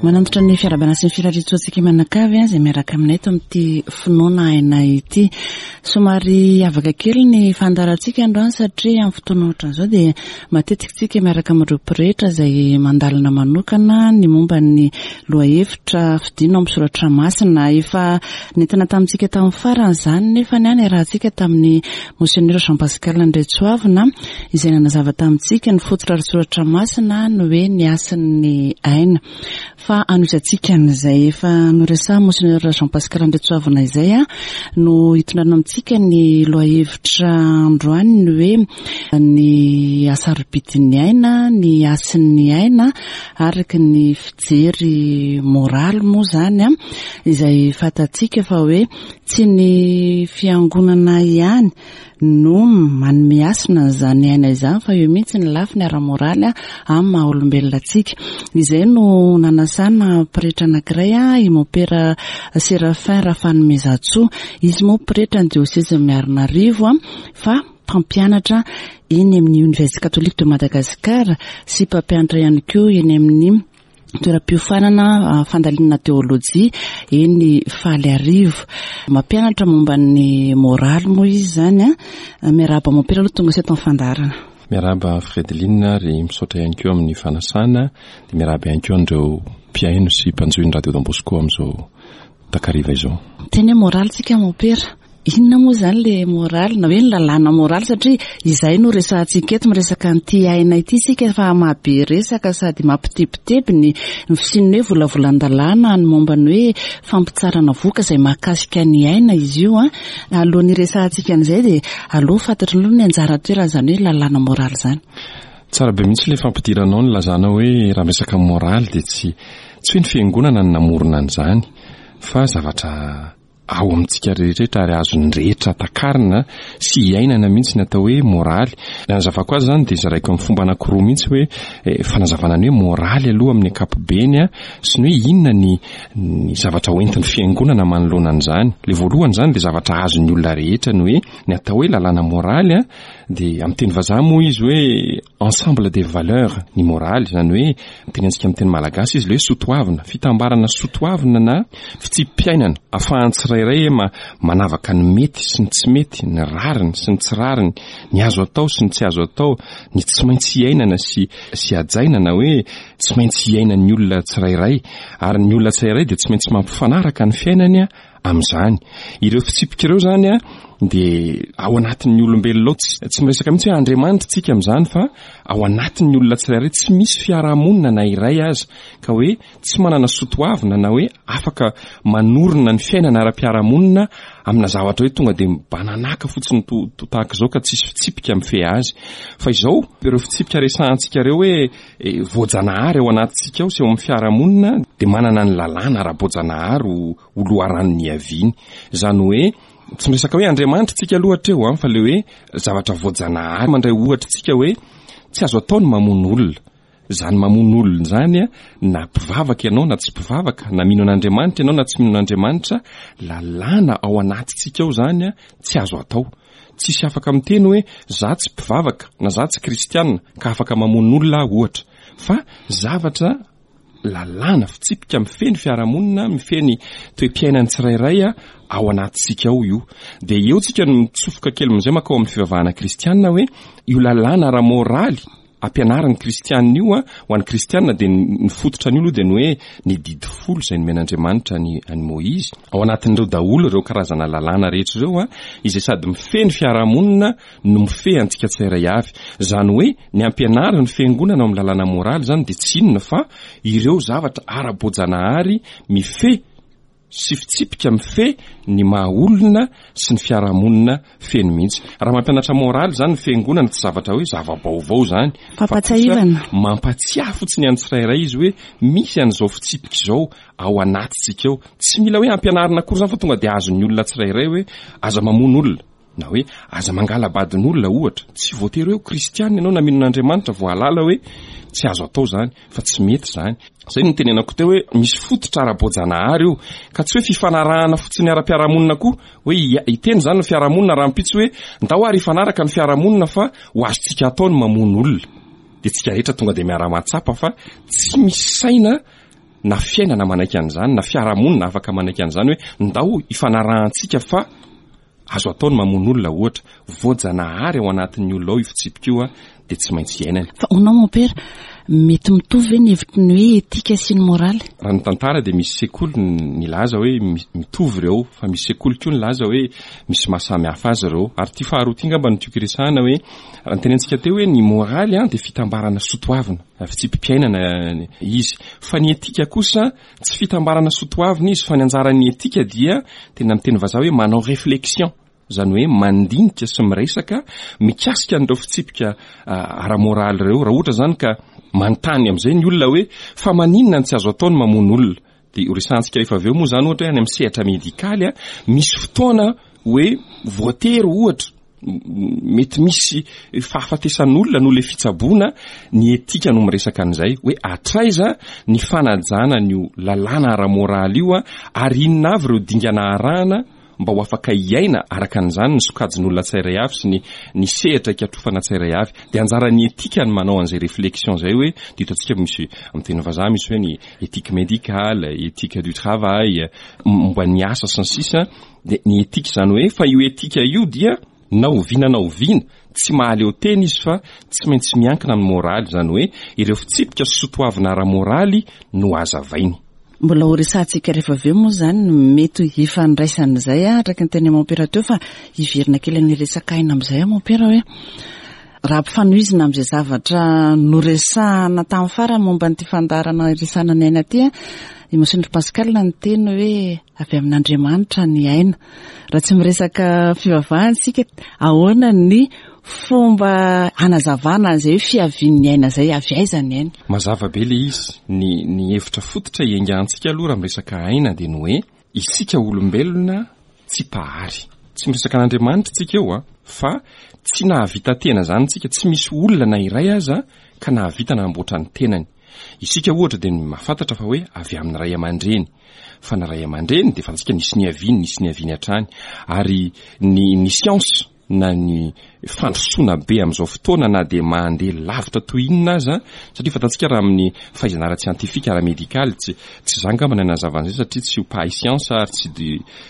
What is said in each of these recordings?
Manantitra ny fiarahabana sy ny firariantsoantsika mianakavy izay miaraka aminay eto amin'ity finoana aina ity. Somary hiavaka kely ny fandaharantsika androany satria amin'ny fotoana ohatran'izao dia matetika isika miaraka amin'ireo pretra izay mandalina manokana ny momba ny lohahevitra fidina ao amin'ny soratra masina. Efa nentina tamintsika tamin'ny farany izany nefa ny niarahantsika tamin'ny Monseigneur Jean Pascal Andriantsoavina izay nanazava tamintsika ny fototra ara-tsoratra masina ny hoe ny hasin'ny aina. Fa hanohizantsika an'izay efa noresahin'i Monseigneur Jean Pascal Andriantsoavina izay no hitondrana amintsika ny lohahevitra androany ny hoe ny hasarobidin'ny aina, ny hasin'ny aina araka ny fijery moraly moa izany izay fantatsika fa hoe tsy ny fiangonana ihany no manome hasina an'izany aina izany fa eo mihitsy ny lafiny ara-moraly amin'ny maha olombelona antsika. Izay no nanasana pretra anankiray, i Mompera Séraphin Rafanomezantsoa. Izy moa pretra ny diosezin'i Miarinarivo fa mpampianatra eny amin'ny Université Catholique de Madagascar sy mpampianatra ihany koa eny amin'ny toeram-piofanana fandalinana teolojia eny Faliarivo. Mampianatra momba ny moraly moa izy izany. Miarahaba mompera aloha tonga eto amin'ny fandaharana. Miarahaba Fredeline ary misaotra ihany koa amin'ny fanasana dia miarahaba ihany koa an'ireo mpihaino sy mpanjohy ny Radio Don Bosco amin'izao takariva izao. Teny hoe moraly tsika mompera. Inona moa izany ilay moraly na hoe ny lalàna moraly satria izay no resahantsika eto, miresaka an'ity aina ity isika fa mahabe resaka sady mampitebiteby ny ny fisian'ny hoe volavolan-dalàna ny momba ny hoe fampitsarana vohoka izay mahakasika ny aina izy io an. Alohan'ny hiresahantsika an'izay dia aleo fantatro aloha ny anjara toeran'izany hoe lalàna moraly izany. Tsara be mihitsy ilay fampidiranao nilazana hoe raha miresaka moraly dia tsy tsy hoe ny fiangonana no namorona an'izany fa zavatra ao amintsika rehetra ary azon'ny rehetra takarina sy iainana mihitsy ny atao hoe moraly. Ny hanazavako azy izany dia zaraiko amin'ny fomba anankiroa mihitsy hoe eh, fanazavana ny hoe moraly aloha amin'ny ankapobeny sy ny hoe inona ny, ny zavatra hoentin'ny fiangonana manoloana an'izany. Ilay voalohany izany dia zavatra azon'ny olona rehetra ny hoe ny atao hoe lalàna moraly dia amin'ny teny vazaha moa izy hoe ensemble des valeurs ny moraly, izany hoe tenentsika amin'ny teny malagasy izy ilay hoe sotoavina, fitambarana sotoavina na fitsipi-piainana ahafahan'ny tsirairay ma manavaka ny mety sy ny tsy mety, ny rariny sy ny tsy rariny, ny azo atao sy ny tsy azo atao, ny tsy maintsy iainana sy sy hajaina na hoe tsy maintsy iainan'ny olona tsirairay ary ny olona tsirairay dia tsy maintsy mampifanaraka ny fiainany amin'izany. Ireo fitsipika ireo izany dia ao anatin'ny olombelona ao, tsy miresaka mihitsy hoe Andriamanitra tsika amin'izany fa ao anatin'ny olona tsirairay, tsy misy fiarahamonina na iray aza ka hoe tsy manana sotoavina na hoe afaka manorina ny fiainana ara-piarahamonina amina zavatra hoe tonga dia mibananaka fotsiny to tahaka izao ka tsisy fitsipika mifehy azy. Fa izao, ireo fitsipika resahantsika ireo hoe eh, voajanahary ao anatintsika ao sy ao amin'ny fiarahamonina dia manana ny lalàna ara-boajanahary ho ho loharano niaviany. Izany hoe tsy miresaka hoe Andriamanitra tsika aloha hatreo an, fa le hoe zavatra voajanahary. Mandray ohatra tsika hoe tsy azo atao ny mamono olona. Izany mamono olona izany an, na mpivavaka ianao na tsy mpivavaka, na mino an'Andriamanitra ianao na tsy mino an'Andriamanitra, lalàna ao anatintsika ao izany an, tsy azo atao. Tsisy afaka miteny hoe za tsy mpivavaka na za tsy kristiana ka afaka mamono olona aho ohatra. Fa zavatra lalàna, fitsipika mifehy ny fiarahamonina, mifehy ny toe-piainan'ny tsirairay ao anatintsika ao io. Dia eo tsika no mitsofoka kely amin'izay mankao amin'ny fivavahana kristiana hoe io lalàna ara-moraly ampianarin'ny kristiana io ho an'ny kristiana dia ny fototra an'io aloha dia ny hoe ny didy folo izay nomen'Andriamanitra an'i an'i Moizy. Ao anatin'ireo daholo ireo karazana lalàna rehetra ireo izay sady mifehy ny fiarahamonina no mifehy antsika tsirairay avy. Izany hoe ny ampianarin'ny fiangonana ao amin'ny lalàna moraly izany dia tsy inona fa ireo zavatra ara-boajanahary mifehy sy fitsipika mifehy ny maha olona sy ny fiarahamonina feno mihitsy. Raha mampianatra moraly izany ny fiangonana tsy zavatra hoe zava-baovao izany fa kosa mampatsiahy fotsiny an'ny tsirairay izy hoe misy an'izao fitsipika izao ao anatintsika ao. Tsy mila hoe ampianarina akory izany fa tonga dia azon'ny olona tsirairay hoe aza mamono olona. Na hoe aza mangala-badin'olona ohatra. Tsy voatery hoe ho kristiana ianao na mino an'Andriamanitra vao hahalala hoe tsy azo atao izany, fa tsy mety izany. Izay no nitenenako teo hoe misy fototra ara-boajanahary io, ka tsy hoe fifanarahana fotsiny ara-piarahamonina koa, hoe hiteny izany ny fiarahamonina rahampitso hoe ndao ary hifanaraka ny fiarahamonina fa ho azontsika atao ny mamono olona. Dia tsika rehetra tonga dia miara-mahatsapa fa tsy misy saina. na fiainana manaiky an'izany na fiarahamonina afaka manaiky an'izany hoe ndao ifanarahantsika fa Azo atao ny mamono olona ohatra, voajanahary ao anatin'ny olona ao io fitsipika io dia tsy maintsy iainany. Fa honao mompera, mety mitovy ve ny hevitry ny hoe etika sy ny moraly? Raha ny tantara dia misy sekoly nilaza hoe mitovy ireo, fa misy sekoly koa nilaza hoe misy maha samy hafa azy ireo. Ary ity faharoa ity angamba no tiako hiresahana hoe, raha notenentsika teo hoe ny moraly dia fitambarana soatoavina, fitsipi-piainana izy. Fa ny etika kosa Tsy fitambarana sotoavina izy fa ny anjaran'ny etika dia tena miteny vazaha hoe manao réflexion, izany hoe mandinika sy miresaka mikasika an'ireo fitsipika ara-moraly ireo. Raha ohatra izany ka manontany amin'izay ny olona hoe fa maninona no tsy azo atao ny mamono olona? Dia horesahantsika rehefa avy eo moa izany ohatra hoe any amin'ny sehatra medikaly misy fotoana hoe voatery ohatra mety misy fahafatesan'olona noho ilay fitsaboana, ny etika no miresaka an'izay, hoe hatraiza ny fanajana an'io lalàna ara-moraly io ary inona avy ireo dingana arahana mba ho afaka hiaina araka an'izany ny sokajin'olona tsirairay avy sy ny ny sehatra ikatrofana tsirairay avy. Dia anjaran'ny etika ny manao an'izay réflexion izay hoe, dia hitantsika misy amin'ny teny vazaha misy hoe ny éthique médicale, éthique du travail, momba ny asa sy ny sisa, Dia ny etika izany hoe, fa io etika io dia na oviana na oviana tsy mahaleo tena izy fa tsy maintsy miankina amin'ny moraly, izany hoe ireo fitsipika sy sotoavina ara-moraly no hazavainy. Mbola ho resahantsika rehefa avy eo moa izany ny mety hifandraisan'izay araka ny tenin'i Mompera teo fa hiverina kely amin'ny resaka aina amin'izay aho Mompera hoe raha ampifanohizina amin'izay zavatra noresahana tamin'ny farany momba an'ity fandaharana iresahana ny aina ity, i Monseigneur Pascal niteny hoe Avy amin'Andriamanitra ny aina. Raha tsy miresaka fivavahana isika, ahoana ny fomba hanazavana an'izay hoe fiavian'ny aina izay? Avy aiza ny aina? Mazava be ilay izy. Ny ny hevitra fototra iaingantsika aloha raha miresaka aina dia ny hoe isika olombelona tsy mpahary. Tsy miresaka an'Andriamanitra isika eo an, fa tsy nahavita tena izany isika, tsy misy olona na iray aza ka nahavita nanamboatra ny tenany. Isika ohatra dia ny mahafantatra fa hoe avy amin'ny ray aman-dreny. Fa ny ray aman-dreny dia fantatsika nisy niaviany, nisy niaviany hatrany. Ary ny ny siansa na ny fandrosoana be amin'izao fotoana na dia mandeha lavitra toy inona aza, satria fantatsika raha amin'ny fahaizana ara-tsiantifika, ara-medikaly, tsy tsy za angamba ny hanazava an'izay satria tsy ho mpahay siansa ary tsy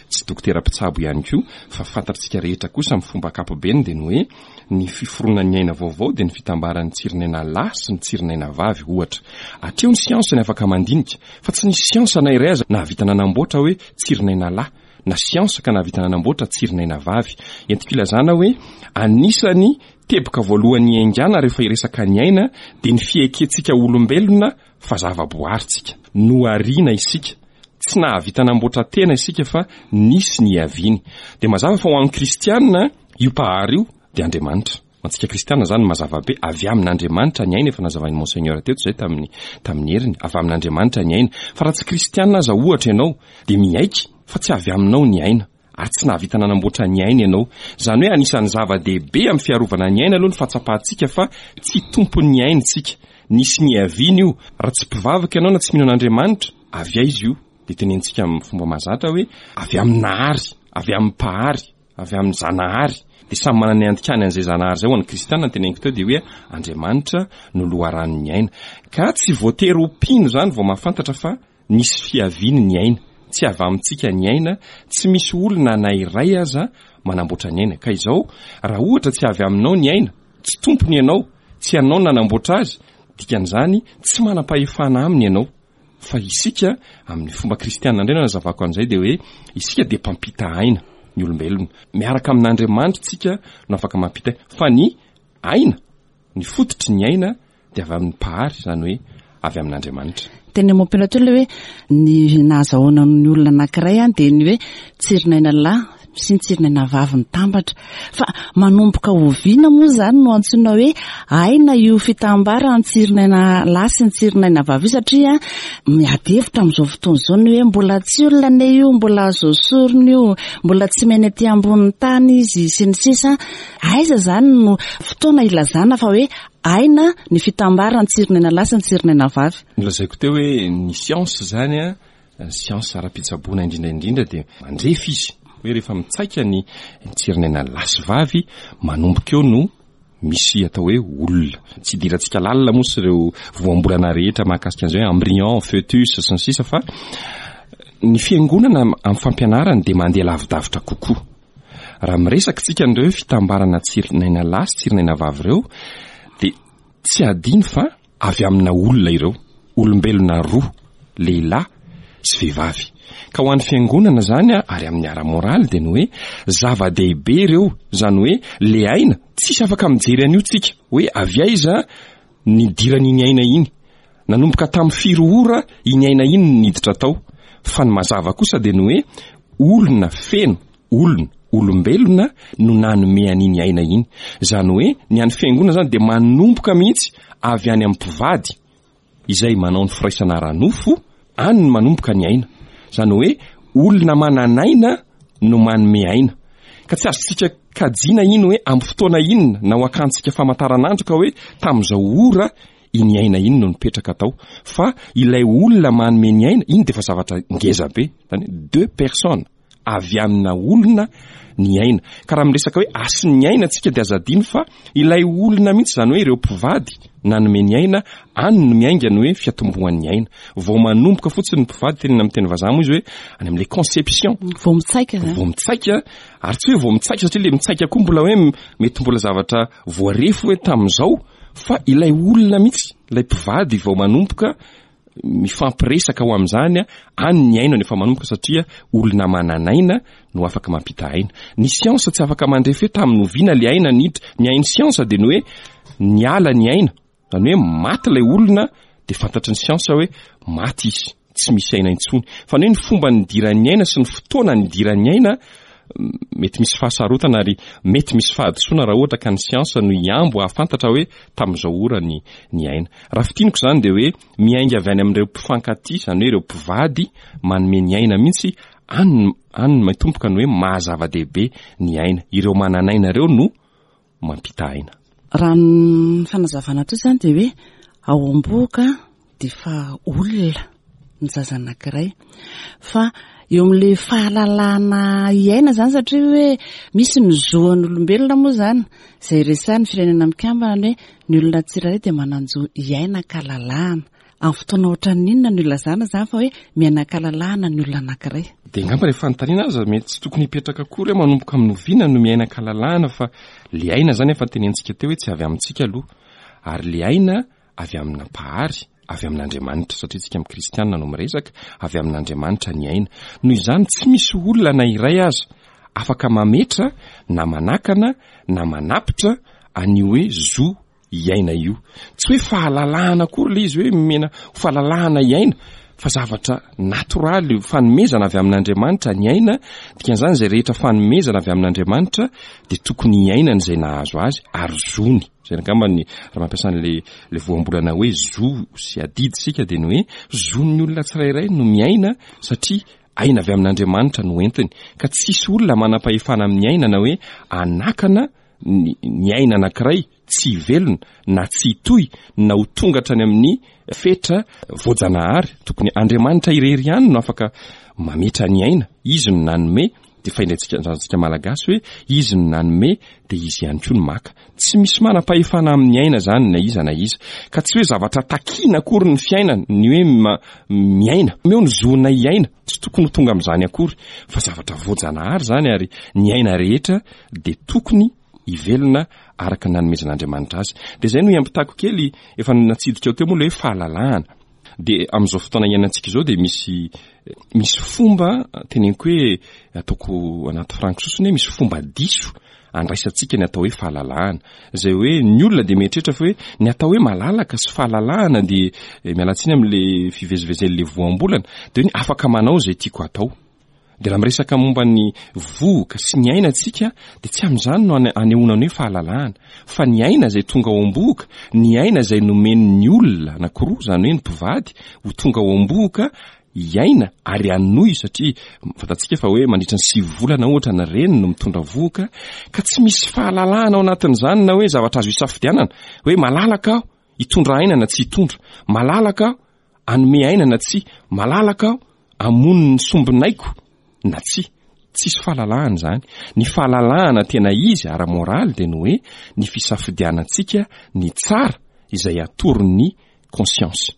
tsy dokotera mpitsabo ihany koa, fa fantatsika rehetra kosa amin'ny fomba ankapobeny dia ny hoe Ny fiforonan'ny aina vaovao dia ny fitambaran'ny tsirin'aina lahy sy ny tsirin'aina vavy, ohatra. Hatreo ny siansa ny afaka mandinika, fa tsy nisy siansa na iray aza nahavita nanamboatra hoe tsirin'aina lahy, na siansa ka nahavita nanamboatra tsirin'aina vavy. Entiko ilazana hoe anisan'ny teboka voalohany iaingàna rehefa hiresaka ny aina dia ny fiekentsika olombelona fa zava-boary tsika. Nohariana isika. Tsy nahavita namboatra tena isika fa nisy niaviany. Dia mazava fa ho an'ny kristiana, Io Mpahary io dia Andriamanitra. Ho antsika kristiana izany mazava be, avy amin'Andriamanitra ny aina, efa nazavain'i Monseigneur teto izay tamin'ny tamin'ny heriny, avy amin'Andriamanitra ny aina. Fa raha tsy kristiana aza ohatra ianao dia miaiky fa tsy avy aminao ny aina, ary tsy nahavita nanamboatra ny aina ianao. Izany hoe anisan'ny zava-dehibe amin'ny fiarovana ny aina aloha ny fahatsapantsika fa tsy tompon'ny aina isika. Nisy niaviany io. Raha tsy mpivavaka ianao na tsy mino an'Andriamanitra, avy aiza io? Dia tenenintsika amin'ny fomba mahazatra hoe avy amin'ny Nahary, avy amin'ny Mpahary. avy amin'ny Zanahary, dia samy manana ny andikany an'izay Zanahary izay, ho an'ny kristiana ny teneniko teo dia hoe Andriamanitra no loharanon'ny aina. Ka tsy voatery ho mpino izany vao mahafantatra fa nisy fiaviany ny aina, tsy avy amintsika ny aina, tsy misy olona na iray aza manamboatra ny aina. Ka izao, raha ohatra tsy avy aminao ny aina, tsy tompony ianao, tsy ianao no nanamboatra azy, dikan'izany tsy manam-pahefana aminy ianao. Fa isika, amin'ny fomba kristiana indray no anazavako an'izay, dia hoe isika dia mpampita aina, ny olombelona. Miaraka amin'Andriamanitra isika no afaka mampita aina. Fa ny aina, ny fototry ny aina dia avy amin'ny Mpahary, izany hoe avy amin'Andriamanitra. Teny amam-peo teo ilay hoe ny nahazahoana ny olona anankiray dia ny hoe tsirin'aina lahy sy ny tsirin'aina vavy mitambatra. Fa manomboka oviana moa izany no antsoina hoe aina io fitambaran'ny tsirin'aina lahy sy ny tsirin'aina vavy io satria miady hevitra amin'izao fotoana izao ny hoe mbola tsy olona anie io, mbola azo esorina io, mbola tsy miaina ety ambonin'ny tany izy sy ny sisa. Aiza izany no fotoana ilazana fa hoe aina ny fitambaran'ny tsirin'aina lahy sy ny tsirin'aina vavy? Nolazaiko teo hoe ny siansa izany an, Ny siansa ara-pitsaboana indrindra indrindra dia mandrefy izy hoe rehefa mitsaika ny tsirin'aina lahy sy vavy, manomboka eo no misy atao hoe olona. Tsy idirantsika lalina moa sy ireo voambolana rehetra mahakasika an'izay hoe embryon, foetus sy ny sisa fa ny fiangonana amin'ny fampianarany dia mandeha lavidavitra kokoa. Raha miresaka isika an'ireo hoe fitambarana tsirinaina lahy sy tsirinaina vavy ireo dia tsy adino fa avy amina olona ireo, olombelona roa, lehilahy sy vehivavy. Ka ho an'ny fiangonana izany ary amin'ny ara-moraly dia ny hoe zava-dehibe ireo, izany hoe le aina, tsisy afaka mijery an'io tsika, hoe avy aiza nidiran'iny aina iny, nanomboka tamin'ny firy ora iny aina iny no niditra tao, fa ny mazava kosa dia ny hoe olona feno Olona, olombelona no nanome an'iny aina iny. Izany hoe ny an'ny fiangonana izany dia manomboka mihitsy avy any amin'ny mpivady izay manao ny firaisana ara-nofo, any no manomboka ny aina. Izany hoe olona manan'aina no manome aina. Ka tsy azontsika kajiana iny hoe amin'ny fotoana inona na ho akantsika famantaranandro ka hoe tamin'izao ora iny aina iny no nipetraka tao. Fa ilay olona manome ny aina, iny dia efa zavatra ngeza be. Izany hoe deux personnes. avy amina olona ny aina. Ka raha miresaka hoe hasin'ny aina tsika dia aza adino fa ilay olona mihitsy izany hoe ireo mpivady nanome ny aina, any no miainga ny hoe fiatombohan'ny aina. Vao manomboka fotsiny ny mpivady, tenenina amin'ny teny vazaha moa izy hoe any amin'ilay conception. Vao mitsaika izany. Vao mitsaika, ary tsy hoe vao mitsaika satria ilay mitsaika koa mbola hoe mety mbola zavatra voarefy hoe tamin'izao fa ilay olona mihitsy, ilay mpivady vao manomboka mifampiresaka ho amin'izany, any ny aina no efa manomboka satria olona manan'aina no afaka mampita aina. Ny siansa tsy afaka mandrefy hoe tamin'ny oviana ilay aina niditra. Ny hain'ny siansa dia ny hoe niala ny aina, izany hoe maty ilay olona dia fantatry ny siansa hoe maty izy, tsy misy aina intsony. Fa ny hoe ny fomba nidiran'ny aina sy ny fotoana nidiran'ny aina mety misy fahasarotana ary mety misy fahadisoana raha ohatra ka ny siansa no hiambo hahafantatra hoe tamin'izao ora ny ny aina. Raha fintiniko izany dia hoe miainga avy any amin'ireo mpifankatia, izany hoe ireo mpivady manome ny aina mihitsy, any any no matomboka ny hoe maha zava-dehibe ny aina. Ireo manan'aina ireo no mampita aina. Raha ny fanazavana teo izany dia hoe ao am-bohoka dia efa olona ny zaza anankiray fa eo amin'ilay fahalalahana hiaina izany satria hoe misy ny zo an'olombelona moa izany izay resahin'ny firenena mikambana ny hoe ny olona tsirairay dia manan-jo hiaina an-kalalahana. Amin'ny fotoana ohatran'ny inona no ilazana izany fa hoe miaina an-kalalahana ny olona anankiray? Dia angamba ilay fanontaniana aza mety tsy tokony hipetraka akory hoe manomboka amin'ny oviana no miaina an-kalalahana fa ilay aina izany efa notenenitsika teo hoe tsy avy amintsika aloha ary ilay aina avy amina Mpahary, avy amin'Andriamanitra, satria tsika amin'ny kristianina no miresaka, avy amin'Andriamanitra ny aina. Noho izany tsy misy olona na iray aza afaka mametra na manakana na manapitra an'io hoe zo hiaina io. Tsy hoe fahalalahana akory ilay izy hoe omena fahalalahana hiaina fa zavatra natoraly, fanomezana avy amin'Andriamanitra ny aina, dikan'izany izay rehetra fanomezana avy amin'Andriamanitra dia tokony hiainana izay nahazo azy ary zony. Izay angamba ny raha mampiasa an'ilay ilay voambolana hoe zo sy adidy isika dia ny hoe zon'ny olona tsirairay no miaina satria aina avy amin'Andriamanitra no entiny. Ka tsisy olona manam-pahefana amin'ny aina na hoe anakana ny ny aina anankiray tsy hivelona na tsy hitohy na ho tonga hatrany amin'ny fetra voajanahary. Tokony Andriamanitra irery ihany no afaka mametra ny aina. Izy no nanome dia fahendrentsika antsika Malagasy hoe izy no nanome dia izy ihany koa no maka. Tsy misy manam-pahefana amin'ny aina izany na iza na iza. Ka tsy hoe zavatra takiana akory ny fiainana, ny hoe miaina. Omeo ny zonay hiaina, tsy tokony ho tonga amin'izany akory. Fa zavatra voajanahary izany ary ny aina rehetra dia tokony hivelona araka ny nanomezan'Andriamanitra azy. Dia izay no hiampitako kely, efa natsidika ao teo moa ilay hoe fahalalahana. Dia amin'izao fotoana iainantsika izao dia misy misy fomba teneniko hoe ataoko anaty franco sosony hoe misy fomba diso andraisantsika ny atao hoe fahalalahana. Izay hoe ny olona dia mieritreritra fa hoe ny atao hoe malalaka sy fahalalahana dia eh, miala tsiny amin'le fivezivezen'le voambolana dia hoe ny afaka manao izay tiako atao. Dia raha miresaka momba ny vohoka sy ny aina tsika dia tsy amin'izany no anehoana ny hoe fahalalahana fa ny aina izay tonga ao am-bohoka, ny aina izay nomen'ny olona anankiroa, izany hoe ny mpivady, ho tonga ao am-bohoka hiaina ary hanohy satria fantatsika fa hoe mandritra ny sivy volana ohatra ny reny no mitondra vohoka ka tsy misy fahalalahana ao anatin'izany na hoe zavatra azo isafidianana hoe malalaka aho hitondra aina na tsy hitondra, malalaka aho Hanome aina na tsia? Malalaka aho hamono ny sombinaiko na tsia? Tsisy fahalalahana izany. Ny fahalalahana tena izy ara-moraly dia ny hoe ny fisafidianantsika ny tsara izay atoron'ny conscience.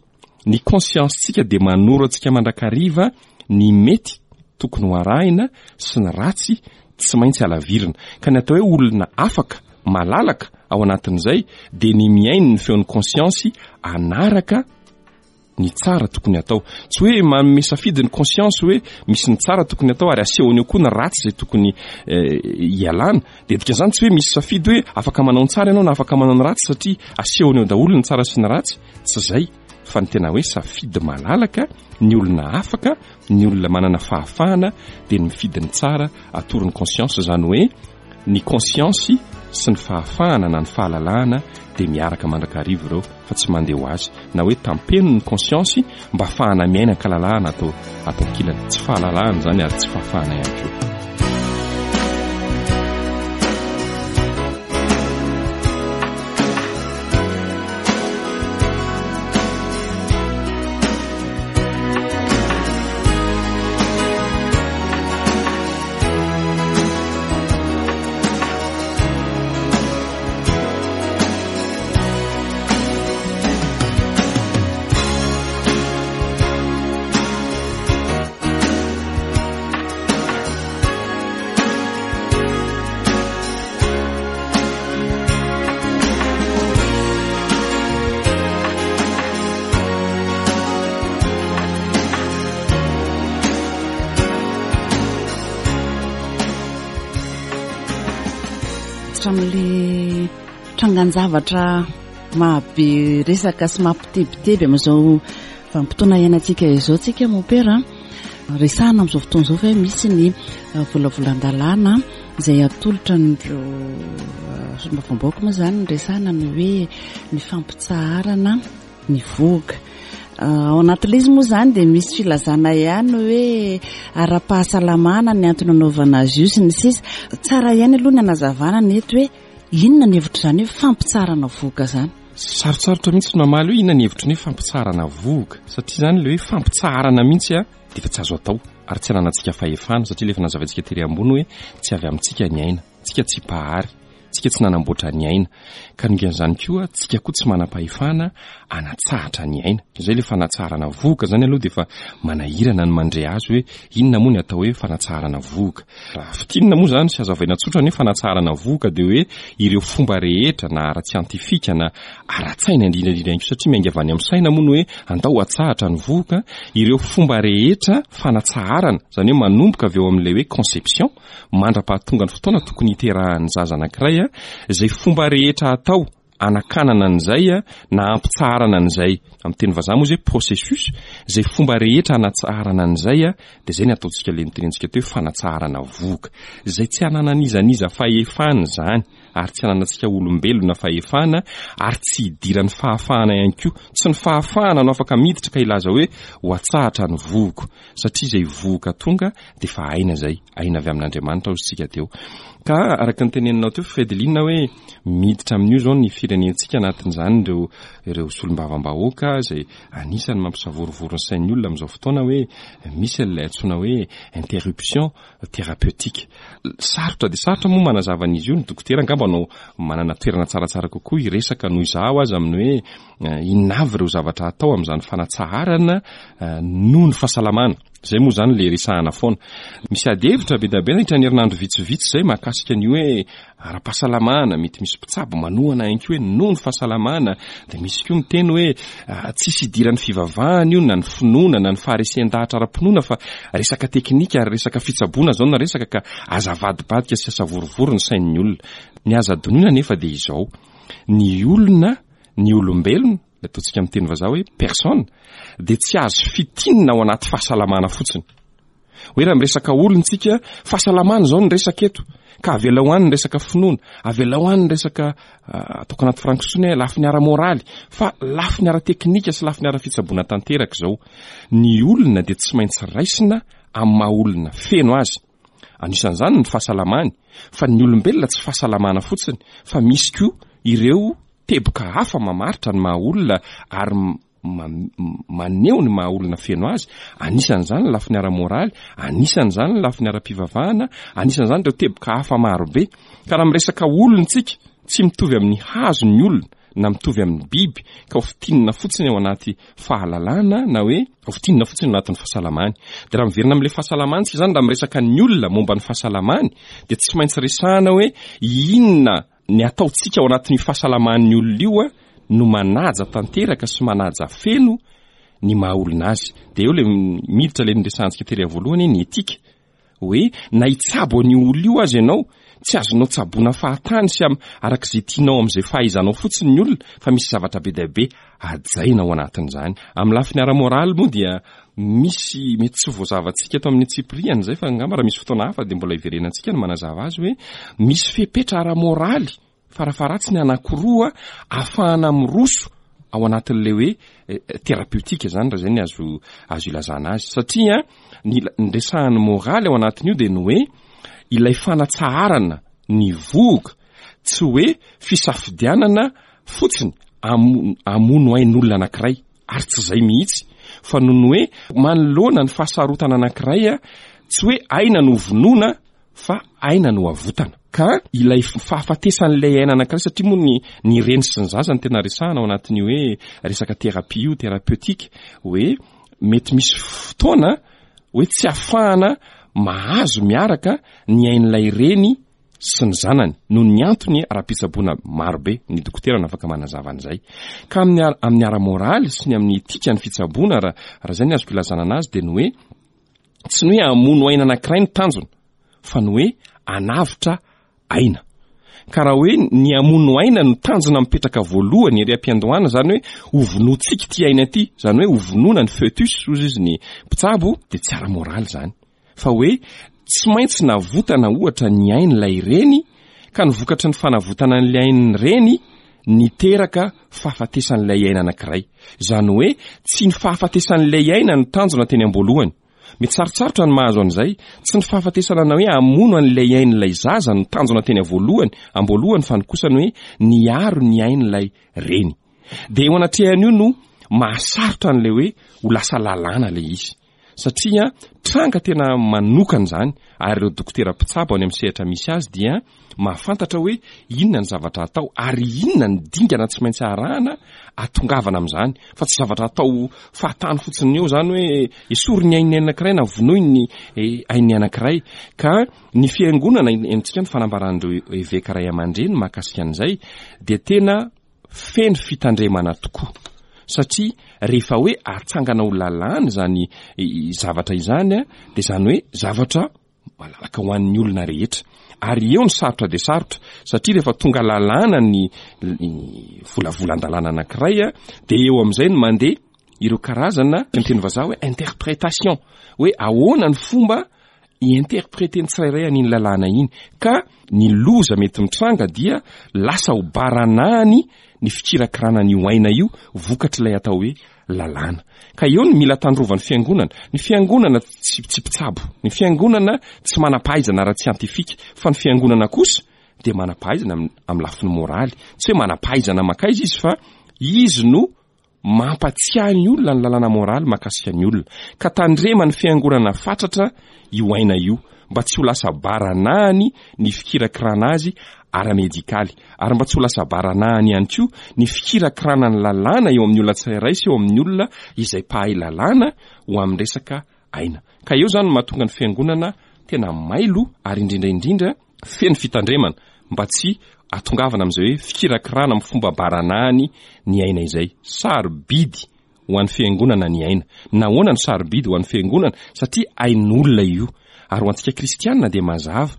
Ny conscience-tsika dia manoro antsika mandrakariva ny mety tokony ho arahina sy ny ratsy tsy maintsy halavirina. Ka ny atao hoe olona afaka, malalaka ao anatin'izay dia ny mihaino ny feon'ny conscience hanaraka ny tsara tokony atao. Tsy hoe manome safidy ny conscience hoe misy ny tsara tokony atao ary asehony eo koa ny ratsy izay tokony eh, hialana. Dia dikan'izany tsy hoe misy safidy hoe afaka manao ny tsara ianao na afaka manao ny ratsy satria asehony eo daholo ny tsara sy ny ratsy. Tsy izay fa ny tena hoe safidy malalaka, ny olona afaka, ny olona manana fahafahana dia ny mifidy ny tsara atoron'ny conscience izany hoe Ny conscience sy ny fahafahana na ny fahalalahana dia miaraka mandrakariva ireo fa tsy mandeha ho azy. Na hoe tampeno ny conscience mba hahafahana miaina an-kalalahana ato ato ankilany. Tsy fahalalahana izany ary tsy fahafahana ihany koa. Hatramin'ilay trangan-javatra mahabe resaka sy mampitebiteby amin'izao vanim-potoana iainantsika izao tsika mompera resahana amin'izao fotoana izao fa hoe misy ny eh, volavolan-dalàna izay atolotra an'ireo eh, solombavambahoaka moa izany ny resahana ny hoe ny fampitsaharana ny vohoka. Ao anatin'ilay izy moa izany dia misy filazana ihany hoe ara-pahasalamana ny antony anaovana azy io sy ny sisa. Tsara ihany aloha ny hanazavana ny eto hoe inona ny hevitr'izany hoe fampitsaharana vohoka izany. Sarotsarotra mihitsy ny mamaly hoe inona ny hevitry ny hoe fampitsaharana vohoka satria izany ilay hoe fampitsaharana mihitsy dia efa tsy azo atao ary tsy ananantsika fahefana satria ilay efa nazavaintsika tery ambony hoe tsy avy amintsika ny aina. Tsika tsy mpahary, tsika tsy nanamboatra ny aina. Ka noho koa, tsika koa tsy manam-pahefana hanatsahatra ny aina. Izay ilay fanatsaharana vohoka izany aloha dia efa manahirana ny mandre azy hoe inona moa ny atao hoe fanatsaharana vohoka. Raha fintinina moa izany sy hazavaina tsotra ny hoe fanatsaharana vohoka dia hoe ireo fomba rehetra na ara-tsiantifika na ara-tsaina indrindra indrindra ihany koa satria miainga avy any amin'ny saina moa ny hoe andao hatsahatra ny vohoka, ireo fomba rehetra fanatsaharana, izany hoe manomboka avy eo amin'ilay hoe conception, mandra-pahatonga ny fotoana tokony hiterahan'ny zaza anankiray, izay fomba rehetra atao hanakanana an'izay na hampitsaharana an'izay, amin'ny teny vazaha moa izay processus, izay fomba rehetra hanatsaharana an'izay dia izay ny ataontsika ilay notenentsika teo hoe fanatsaharana vohoka. Izay tsy hananan'iza n'iza fahefana izany ary tsy hananantsika olombelona fahefana ary tsy hidiran'ny fahafahana ihany koa. Tsy ny fahafahana no afaka miditra ka hilaza hoe ho atsahatra ny vohoko satria izay vohoka tonga dia efa aina izay, aina avy amin'Andriamanitra hozy tsika teo. Ka araka ny teneninao teo Fredeline hoe miditra amin'io izao ny firenentsika anatin'izany ireo ireo solombavambahoaka izay anisan'ny mampisavorovoro ny sain'ny olona amin'izao fotoana hoe misy an'ilay antsoina hoe interruption thérapeutique. Sarotra dia sarotra moa manazava an'izy io, ny dokotera angamba no manana toerana tsaratsara kokoa hiresaka noho izaho aza amin'ny hoe Inona avy ireo zavatra atao amin'izany fanatsaharana noho ny fahasalamana? Izay moa izany ilay resahana foana. Misy ady hevitra be dia be nandritra ny herinandro vitsivitsy izay mahakasika ny hoe ara-pahasalamana, mety misy mpitsabo manohana ihany koa hoe noho ny fahasalamana, dia misy koa miteny hoe tsisy idiran'ny fivavahana io na ny finoana na ny faharesen-dahatra ara-pinoana fa resaka teknika ary resaka fitsaboana izao no resaka ka aza avadibadika sy asavorovoro ny sain'ny olona. Ny aza adinoina anefa dia izao, ny olona Ny olombelona, ilay ataontsika amin'ny teny vazaha hoe personne, dia tsy azo fitinina ao anaty fahasalamana fotsiny. Hoe raha miresaka olona tsika, fahasalamana izao ny resaka eto, ka avelao any ny resaka finoana, avelao any ny resaka ah, ataoko anaty frankisoana hoe lafiny ara-moraly, fa lafiny ara-teknika sy lafiny ara-fitsaboana tanteraka izao. Ny olona dia tsy maintsy raisina amin'ny maha olona feno azy. Anisan'izany ny fahasalamany, fa ny olombelona tsy fahasalamana fotsiny, fa misy koa ireo teboka hafa mamaritra ny maha olona ary maneho ny maha olona feno azy, anisan'izany ny lafiny ara-moraly, anisan'izany ny lafiny ara-pivavahana, anisan'izany ireo teboka hafa marobe. Ka raha miresaka olona isika, tsy mitovy amin'ny hazo ny olona, na mitovy amin'ny biby, ka ho fintinina fotsiny ao anaty fahalalana na hoe ho fintinina fotsiny ao anatin'ny fahasalamany. Dia raha miverina amin'ilay fahasalamana isika izany, raha miresaka ny olona momba ny fahasalamany, dia tsy maintsy resahana hoe inona Ny ataontsika ao anatin'io fahasalaman'ny olona io no manaja tanteraka sy manaja feno ny maha olona azy. Dia eo ilay miditra ilay niresahantsika tery voalohany ny etika. Hoe na hitsabo an'io olona io aza ianao, tsy azonao tsaboina fahatany sy araka izay tianao amin'izay fahaizanao fotsiny ny olona fa misy zavatra be dia be hajaina ao anatin'izany. Amin'ny lafiny ara-moraly moa dia misy mety tsy voazavantsika eto amin'ny antsipiriany izay fa angamba raha misy fotoana hafa dia mbola hiverenantsika ny manazava azy hoe misy fepetra ara-moraly farafaharatsiny anankiroa ahafahana miroso ao anatin'ilay hoe eh, therapeutique izany raha izay ny azo azo ilazana azy satria ny ny resahan'ny moraly ao anatin'io dia ny hoe ilay fanatsaharana ny vohoka tsy hoe fisafidianana fotsiny hamono ain'olona anankiray ary tsy izay mihitsy fa noho ny hoe manoloana ny fahasarotana anankiray tsy hoe aina no vonoina fa aina no avotana ka ilay fahafatesan'ilay aina anankiray satria moa ny ny reny sy ny zaza no tena resahana ao anatin'io hoe resaka thérapie io thérapeutique hoe mety misy fotoana hoe tsy afahana mahazo miaraka ny ain'ilay reny sy ny zanany noho ny antony ara-pitsaboana maro be, ny dokotera no afaka manazava an'izay. Ka amin'ny amin'ny ara-moraly sy ny amin'ny etika ny fitsaboana raha raha izay ny azoko ilazana anazy dia ny hoe tsy ny hoe hamono aina anankiray ny tanjona fa ny hoe hanavotra aina. Ka raha hoe ny hamono aina no tanjona mipetraka voalohany ery am-piandohana, izany hoe hovonoantsika ity aina ity, izany hoe hovonoana ny foetus hozy izy ny mpitsabo, dia tsy ara-moraly izany. fa hoe tsy maintsy navotana ohatra ny ain'ilay reny ka ny vokatry ny fanavotana an'ilay ain'ny reny niteraka fahafatesan'ilay aina anankiray. Izany hoe tsy ny fahafatesan'ilay aina no tanjona teny am-boalohany. Mety sarotsarotra ny mahazo an'izay. Tsy ny fahafatesana na hoe hamono an'ilay ain'ilay zaza no tanjona teny voalohany, am-boalohany fa ny kosa ny hoe niaro ny ain'ilay reny. Dia eo anatrehan'io no mahasarotra an'ilay hoe ho lasa lalàna ilay izy. Satria tranga tena manokana izany ary ireo dokotera mpitsabo any amin'ny sehatra misy azy dia mahafantatra hoe inona ny zavatra atao ary inona ny dingana tsy maintsy arahana atongavana amin'izany fa tsy zavatra atao fahatany fotsiny eo izany hoe esory ny ain'ny anankiray na vonoy ny eh, ain'ny anankiray ka ny fiangonana entsika ny fanambaran'ireo eveka ray aman-dreny mahakasika an'izay dia tena feno fitandremana tokoa satria rehefa hoe atsangana ho lalàna izany zavatra izany dia izany hoe zavatra malalaka ho an'ny olona rehetra ary eo ny sarotra dia sarotra satria rehefa tonga lalàna ny volavolan-dalàna anankiray dia eo amin'izay no mandeha ireo karazana ny teny vazaha hoe interprétation hoe ahoana ny fomba i-interpreter ny tsirairay an'iny lalàna iny ka ny loza mety mitranga dia lasa ho baranahany ny fikirakirana an'io aina io vokatr'ilay atao hoe lalàna. Ka eo ny mila tandrovan'ny fiangonana. Ny fiangonana tsy tsy mpitsabo, ny fiangonana tsy manam-pahaizana ara-tsiantifika, fa ny fiangonana kosa dia manam-pahaizana amin'ny lafiny moraly. Tsy hoe manam-pahaizana mankaiza izy fa izy no Mampatsiahy ny olona ny lalàna moraly mahakasika ny olona, ka tandreman'ny fiangonana fatratra io aina io mba tsy ho lasa baranahany ny fikirakirana azy ara-medikaly, ary mba tsy ho lasa baranahany ihany koa ny fikirakirana ny lalàna eo amin'ny olona tsirairay sy eo amin'ny olona izay mpahay lalàna ho amin'ny resaka aina. Ka eo izany no mahatonga ny fiangonana tena mailo ary indrindra indrindra feno fitandremana mba tsy hahatongavana amin'izay hoe fikirakirana amin'ny fomba baranahany ny aina izay. Sarobidy ho an'ny fiangonana ny aina. Nahoana no sarobidy ho an'ny fiangonana? Satria ain'olona io. Ary ho antsika kristianina dia mazava,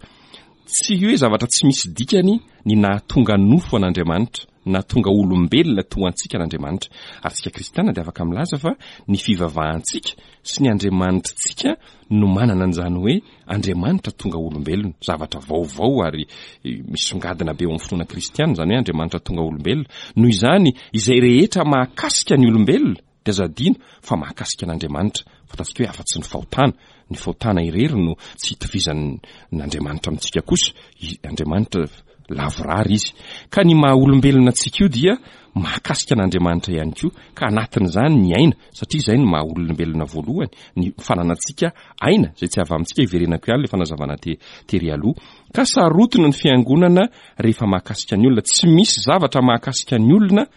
tsy hoe zavatra tsy misy dikany ny nahatonga nofo an'Andriamanitra, nahatonga olombelona toa antsika an'Andriamanitra. Ary tsika kristianina dia afaka milaza fa ny fivavahantsika sy ny Andriamanitritsika no manana an'izany hoe Andriamanitra tonga olombelona, zavatra vaovao ary misongadina be eo amin'ny finoana kristiana izany hoe Andriamanitra tonga olombelona. Noho izany, izay rehetra mahakasika ny olombelona dia aza adino fa mahakasika an'Andriamanitra. Fantatsika hoe afa-tsy ny fahotana, ny fahotana irery no tsy itovizan'Andriamanitra amintsika kosa. I Andriamanitra. Lavorary izy. Ka ny maha olombelona antsika io dia mahakasika an'Andriamanitra ihany koa, ka anatin'izany ny aina, satria izay no maha olombelona voalohany, ny fananantsika aina, izay tsy avy amintsika, hiverenako ihany ilay fanazavana te, tery aloha. Ka sarotiny ny fiangonana rehefa mahakasika ny olona. Tsy misy zavatra mahakasika ny olona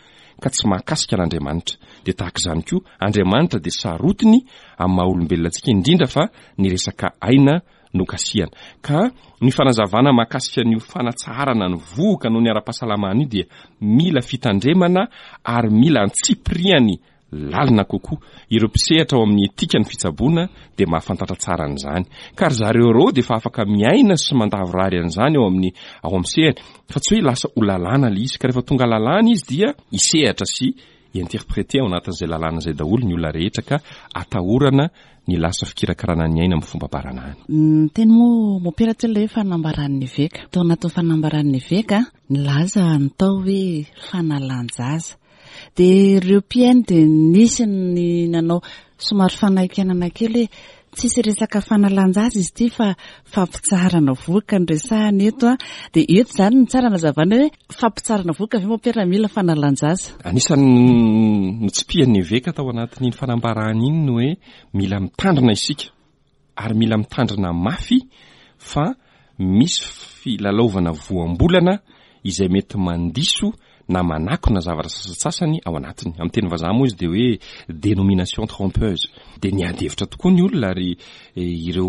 ka tsy mahakasika an'Andriamanitra. Dia tahaka izany koa, Andriamanitra dia sarotiny amin'ny maha olombelona antsika, indrindra fa ny resaka aina nokasihana. Ka ny fanazavana mahakasika an'io fanatsaharana ny vohoka noho ny ara-pahasalamana io dia mila fitandremana ary mila antsipiriany lalina kokoa. Ireo mpisehatra ao amin'ny etika ny fitsaboana dia mahafantatra tsara an'izany. Ka ry zareo ireo dia efa afaka miaina sy mandavorary an'izany ao amin'ny ao amin'ny sehany. Fa tsy hoe lasa ho lalàna ilay izy. Ka rehefa tonga lalàna izy dia hisehatra sy hi-interpreter ao anatin'izay lalàna izay daholo ny olona rehetra ka atahorana ny lasa fikirakarana ny aina amin'ny fomba baranahiny. Niteny moa Mompera teo ilay hoe fanambaran'ny eveka. Tao anatin'ny fanambaran'ny eveka, nilaza ny tao hoe fanalan-jaza. Dia ireo mpihaino dia nisy ny nanao somary fanaikenana kely hoe tsisy resaka fanalan-jaza izy ity fa fampitsaharana vohoka no resahana eto an. Dia eto izany no tsara nazavana hoe fampitsaharana vohoka ve mompera mila fanalan-jaza? Anisan'ny notsipihan'ny eveka tao anatin'iny fanambarana iny ny hoe mila mitandrina isika ary mila mitandrina mafy fa misy filalaovana voambolana izay mety mandiso na manakona zavatra sasantsasany ao anatiny. Amin'ny teny vazaha moa izy dia hoe dénomination trompeuse. Dia niady hevitra tokoa ny olona ary ireo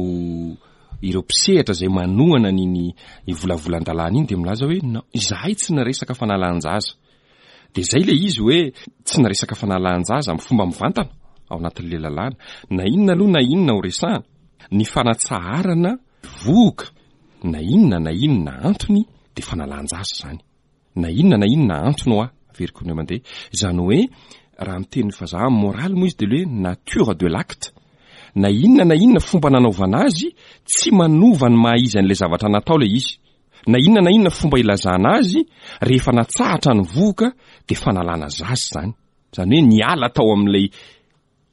ireo mpisehatra izay manohana an'iny volavolan-dalàna iny dia milaza hoe non, izahay tsy niresaka fanalan-jaza. Dia izay ilay izy hoe tsy niresaka fanalan-jaza amin'ny fomba mivantana ao anatin'ilay lalàna. Na inona aloha na inona ho resahana, ny fanatsaharana vohoka na inona na inona antony dia fanalan-jaza izany. Na inona na inona antony hoa, averiko indray mandeha. Izany hoe raha miteny vazaha amin'ny moraly moa izy dia ilay hoe nature de l'acte. Na inona na inona fomba nanaovana azy, tsy manova ny maha izy an'ilay zavatra natao ilay izy. Na inona na inona fomba ilazana azy, rehefa natsahatra ny vohoka dia fanalana zaza izany. Izany hoe niala tao amin'ilay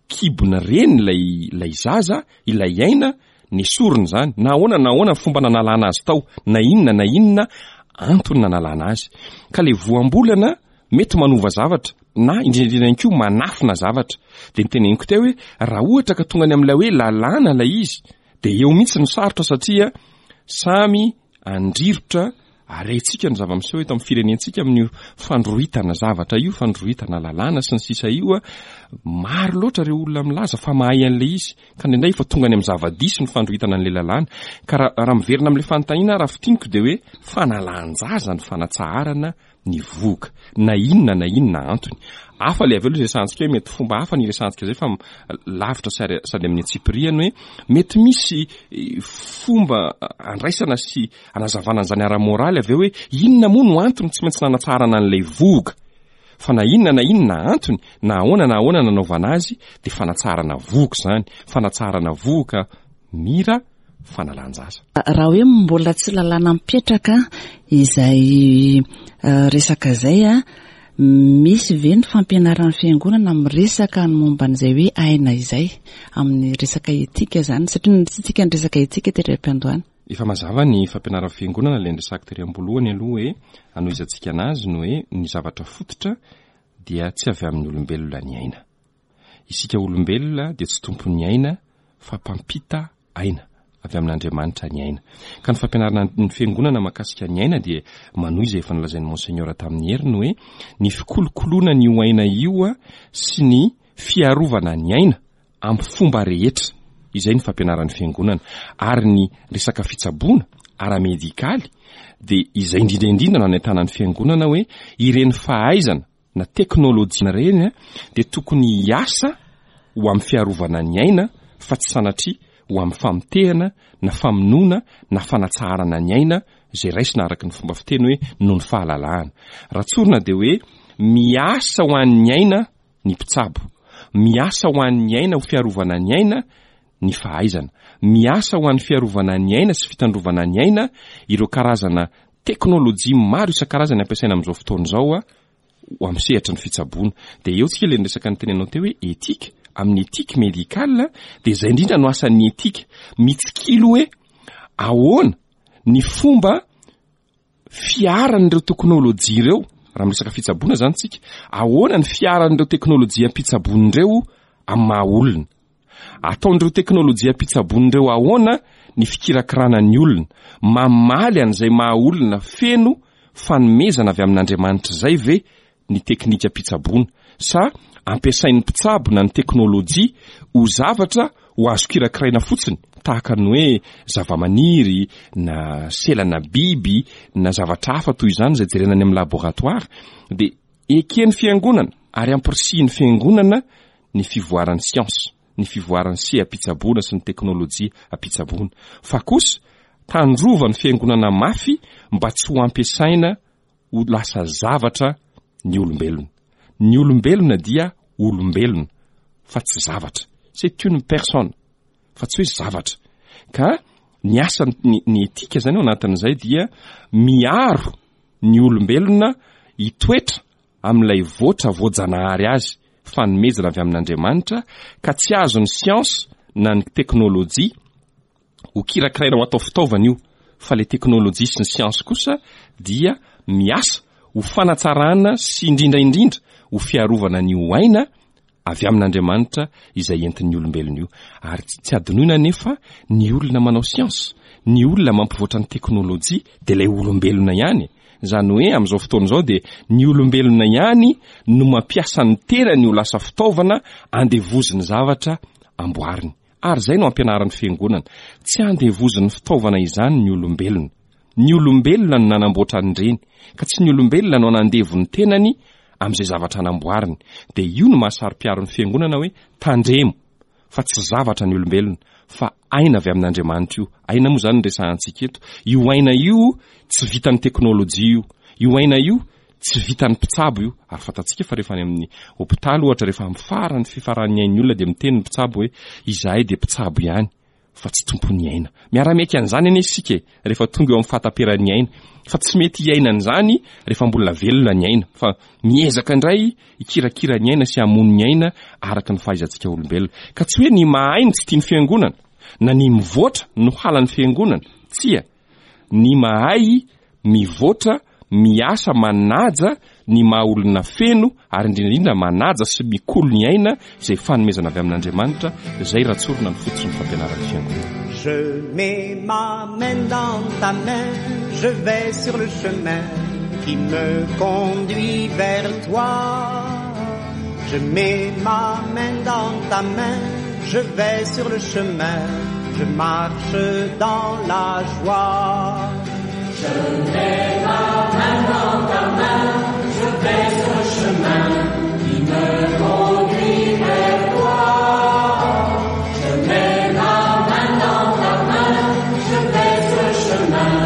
kibon'ny reny ilay ilay zaza, ilay aina, nesorina izany. Na ahoana na ahoana fomba nanalana azy tao, na inona na inona antony nanalana azy. Ka ilay voambolana mety manova zavatra na indrindra indrindra ihany koa manafina zavatra. Dia noteneniko teo hoe raha ohatra ka tonga any amin'ilay hoe lalàna ilay izy, Dia eo mihitsy no sarotra satria samy andrirotra ary haintsika ny zava-miseho eto amin'ny firenentsika amin'io fandroritana zavatra io, fandroritana lalàna sy ny sisa io. Maro loatra ireo olona milaza fa mahay an'ilay izy, ka indraindray efa tonga any amin'ny zava-diso ny fandroritana an'ilay lalàna. Ka raha miverina amin'ilay fanontaniana raha fintiniko dia hoe fanalan-jaza ny fanatsaharana ny vohoka, na inona na inona antony. Hafa ilay avy eo ilay resahantsika hoe mety fomba hafa ny iresahantsika izay fa lavitra sady amin'ny antsipiriany hoe mety misy fomba andraisana sy anazavana an'izany ara-moraly avy eo hoe inona moa no antony tsy maintsy nanatsaharana an'ilay vohoka. Fa na inona na inona antony, na ahoana na ahoana nanaovana azy dia fanatsaharana vohoka izany, fanatsaharana vohoka mira fanalan-jaza. Raha hoe mbola tsy lalàna mipetraka izay resaka izay, misy ve ny fampianaran'ny fiangonana miresaka ny momba an'izay hoe aina izay amin'ny resaka etika izany? Satria tsy tsika niresaka etika tery am-piandohana. Efa mazava ny fampianaran'ny fiangonana, ilay niresahako tery am-boalohany aloha hoe anohizantsika anazy ny hoe ny zavatra fototra dia tsy avy amin'ny olombelona ny aina. Isika olombelona dia tsy tompon'ny aina fa mpampita aina avy amin'Andriamanitra ny aina. Ka ny fampianarana ny fiangonana mahakasika ny aina dia manohy izay efa nolazain'i Monseigneur tamin'ny heriny hoe ny fikolokoloana an'io aina io sy ny fiarovana ny aina amin'ny fomba rehetra. Izay ny fampianaran'ny fiangonana. Ary ny resaka fitsaboana ara-medikaly dia izay indrindra indrindra no anentanan'ny fiangonana hoe ireny fahaizana na teknolojia ireny dia tokony hiasa ho amin'ny fiarovana ny aina fa tsy sanatria ho amin'ny famotehana na famonoana na fanatsaharana ny aina izay raisina araka ny fomba fiteny hoe noho ny fahalalahana. Raha tsorina dia hoe miasa ho an'ny aina ny mpitsabo, miasa ho an'ny aina ho fiarovana ny aina ny fahaizana, miasa ho an'ny fiarovana ny aina sy fitandrovana ny aina ireo karazana teknolojia maro isan-karazany ampiasaina amin'izao fotoana izao ho amin'ny sehatry ny fitsaboana. Dia eo tsika ilay niresaka nitenenao teo hoe éthique, amin'ny éthique médicale dia izay indrindra no asan'ny éthique, mitsikilo hoe ahoana ny fomba. fiaran'ireo teknolojia ireo, raha miresaka fitsaboana izany tsika, ahoana ny fiaran'ireo teknolojiam-pitsaboana ireo amin'ny maha olona? Ataon'ireo teknolojiam-pitsaboana ireo ahoana ny fikirakirana ny olona? Mamaly an'izay maha olona feno fanomezana avy amin'Andriamanitra izay ve ny teknikam-pitsaboana sa ampiasain'ny mpitsabo na ny teknolojia ho zavatra ho azo kirakiraina fotsiny tahaka ny hoe zavamaniry na selana biby na zavatra hafa toy izany izay jerena any amin'ny laboratoara dia eken'ny fiangonana ary ampirisihin'ny fiangonana ny fivoaran'ny siansa, ny fivoaran'ny seha-pitsaboana sy ny teknolojia am-pitsaboana fa kosa tandrovan'ny fiangonana mafy mba tsy ho ampiasaina ho lasa zavatra ny olombelona. Ny olombelona dia olombelona fa tsy zavatra. C'est une personne fa tsy hoe zavatra. Ka ny asa ny, ny etika zany ao anatin'izay dia miaro ny olombelona hitoetra amin'ilay voatra voajanahary azy, fanomezana avy amin'Andriamanitra, ka tsy azon'ny siansa na ny teknolojia ho kirakiraina ho atao fitaovana io fa le teknolojia sy ny siansa kosa dia miasa ho fanatsarana sy indrindra indrindra ho fiarovana ny ho aina avy amin'Andriamanitra izay entin'ny olombelona io. Ary tsy adinoina anefa ny olona manao siansa, ny olona mampivoatra ny teknolojia dia ilay olombelona ihany. Izany hoe amin'izao fotoana izao dia ny olombelona ihany no mampiasa ny tenany ho lasa fitaovana andevozin'ny zavatra amboariny. Ary izay no ampianarin'ny Fiangonana. Tsy andevozin'ny fitaovana izany ny olombelona. Ny olombelona no nanamboatra an'ireny, ka tsy ny olombelona no hanandevo ny tenany amin'izay zavatra namboariny. Dia io no maha-saro-piaro ny Fiangonana hoe tandremo fa tsy zavatra ny olombelona, fa aina avy amin'Andriamanitra io. Aina moa izany no resahantsika eto. Io aina io tsy vitan'ny teknolojia io. Io aina io Tsy vitan'ny mpitsabo io, ary fantatsika fa rehefa any amin'ny hopitaly ohatra, rehefa amin'ny farany fifaran'ny ain'ny olona dia miteny ny mpitsabo hoe izahay dia mpitsabo ihany fa tsy tompon'ny aina. Miara-miaiky an'izany anie isika e, rehefa tonga eo amin'ny fahataperan'ny aina, fa tsy mety hiaina an'izany rehefa mbola velona ny aina, fa miezaka indray hikirakira ny aina sy hamono ny aina araka ny fahaizantsika olombelona. Ka tsy hoe ny mahay no tsy tian'ny fiangonana, na ny mivoatra no halan'ny fiangonana, tsia. Ny mahay mivoatra, miasa, manaja ny maha olona feno ary indrindra indrindra manaja sy mikolo ny aina izay fanomezana avy amin'Andriamanitra, izay raha tsorina ny fototry ny fampianaran'ny Fiangonana. Je mets ma main dans ta main, je vais sur le chemin qui me conduit vers toi. Je mets ma main dans ta main, je vais sur le chemin, je marche dans la joie. Je mets ma main dans ta main, je vais sur le chemin qui me conduit vers toi. Je mets ma main dans ta main, je vais sur le chemin,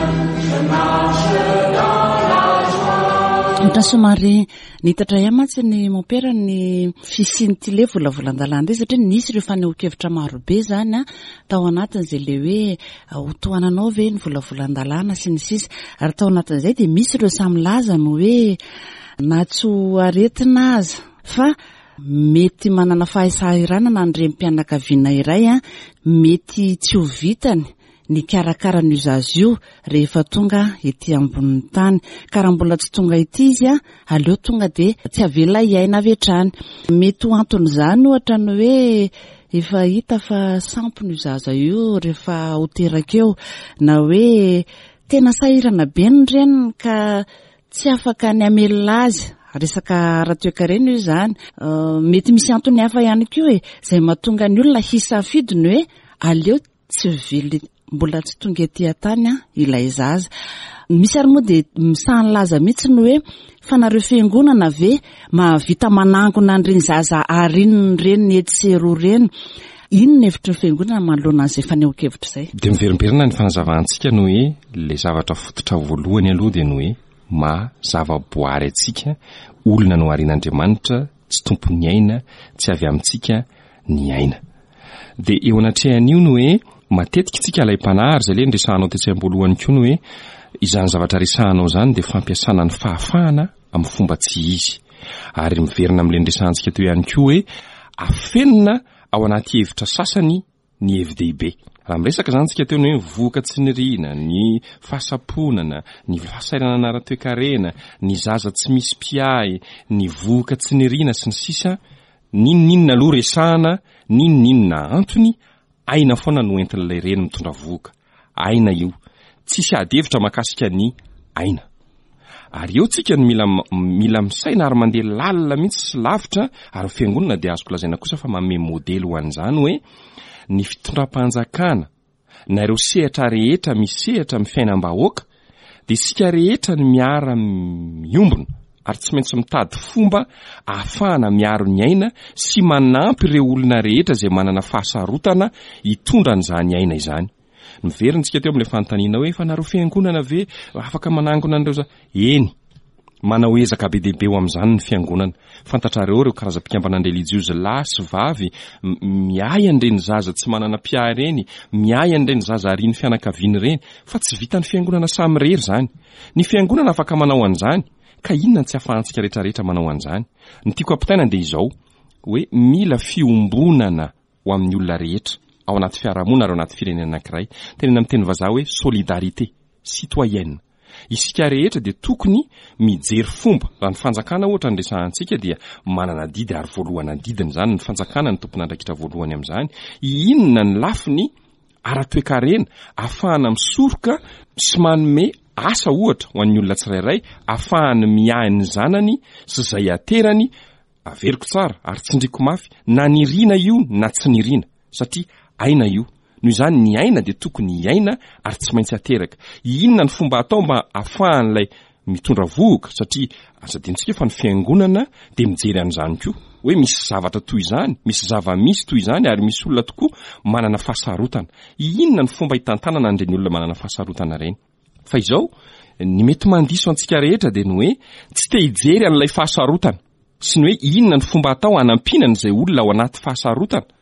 je marche dans la joie. Ohatra somary Nitatra ihany mantsy ny mompera ny fisian'ity le volavolan-dalàna ity satria nisy ireo fanehoan-kevitra marobe izany tao anatin'izay le hoe ho tohananao ve ny volavolan-dalàna sy ny sisa. Ary tao anatin'izay dia misy ireo samy milaza ny hoe na tsy ho aretina aza fa mety manana fahasahiranana ny renim-pianakaviana iray, mety tsy ho vitany nikarakara an'io zaza io rehefa tonga ety ambonin'ny tany. Ka raha mbola tsy tonga ety izy, aleo tonga dia tsy avela hiaina avy hatrany. Mety ho anton'izany ohatra ny hoe efa hita fa sampona io zaza io rehefa ho teraka eo, na hoe tena sahirana be ny reniny ka tsy afaka ny hamelona azy, resaka ara-toekarena io izany. Mety misy antony hafa ihany koa e, izay mahatonga ny olona hisafidy ny hoe aleo Tsy velona mbola tsy tonga ety an-tany ilay zaza. Misy ary moa dia misaha nilaza mihitsy ny hoe fa nareo fiangonana ve mahavita manangona an'ireny zaza arin'ny reniny etsy sy eroa ireny? Inona ny hevitry ny fiangonana manoloana an'izay fanehoan-kevitra izay? Dia miverimberina ny fanazavantsika ny hoe ilay zavatra fototra voalohany aloha dia ny hoe maha zava-boary antsika, olona noharian'Andriamanitra, tsy tompon'ny aina, tsy avy amintsika ny aina. Dia eo anatrehan'io ny hoe matetika isika alaim-panahy ary izay ilay niresahanao tetsy am-boalohany koa ny hoe izany zavatra resahanao izany dia fampiasana ny fahafahana amin'ny fomba tsy izy. Ary miverina amin'ilay niresahantsika teo ihany koa hoe afenina ao anaty hevitra sasany ny hevi-dehibe. Raha miresaka izany tsika teo ny hoe vohoka tsy niriana, ny fahasamponana, ny fahasahiranana ara-toekarena, ny zaza tsy misy mpiahy, ny vohoka tsy niriana sy ny sisa, n'inon'inona aloha resahana, n'inon'inona antony, aina foana no entin'ilay reny mitondra vohoka. Aina io. Tsisy ady hevitra mahakasika ny aina. Ary eo tsika no mila mila misaina ary mandeha lalina mihitsy sy lavitra ary ny fiangonana dia azoko lazaina kosa fa manome modely ho an'izany hoe ny fitondram-panjakana na ireo sehatra rehetra misehatra amin'ny fiainam-bahoaka dia isika rehetra no miara miombona ary tsy maintsy mitady fomba ahafahana miaro ny aina sy manampy ireo olona rehetra izay manana fahasarotana hitondra an'izany aina izany. Miverina isika teo amin'ilay fanontaniana hoe efa nareo fiangonana ve afaka manangona an'ireo za? Eny, manao ezaka be dia be ho amin'izany ny fiangonana. Fantatrareo ireo karazam-pikambanan-drelijiozy lahy sy vavy miahy an'ireny zaza tsy manana mpiahy ireny, miahy an'ireny zaza arian'ny fianakaviany ireny, fa tsy vitan'ny fiangonana samirery izany. Ny fiangonana afaka manao an'izany, ka inona no tsy ahafahantsika rehetrarehetra manao an'izany? Ny tiako hampitaina dia izao, hoe mila fiombonana ho amin'ny olona rehetra, ao anaty fiarahamonina ary ao anaty firenena anankiray. Tenenina amin'ny teny vazaha hoe solidarité citoyenne. Isika rehetra dia tokony mijery fomba, raha ny fanjakana ohatra no resahantsika dia manana adidy ary voalohany adidiny izany, ny fanjakana no tompon'andraikitra voalohany amin'izany, inona ny lafiny ara-toekarena ahafahana misoroka sy manome asa ohatra ho an'ny olona tsirairay, ahafahany miahy ny zanany sy izay aterany, Averiko tsara ary tsindriko mafy, na niriana io na tsy niriana, satria aina io. Noho izany ny aina dia tokony hiaina ary tsy maintsy ateraka. Inona ny fomba atao mba afahan'ilay mitondra vohoka, satria aza adinontsika fa ny fiangonana dia mijery an'izany koa, hoe misy zavatra toy izany, misy zava-misy toy izany ary misy olona tokoa manana fahasarotana. Inona ny fomba hitantanana an'ireny olona manana fahasarotana ireny? Fa izao, ny mety mandiso antsika rehetra dia ny hoe tsy te hijery an'ilay fahasarotana sy ny hoe inona ny fomba atao hanampiana an'izay olona ao anaty fahasarotana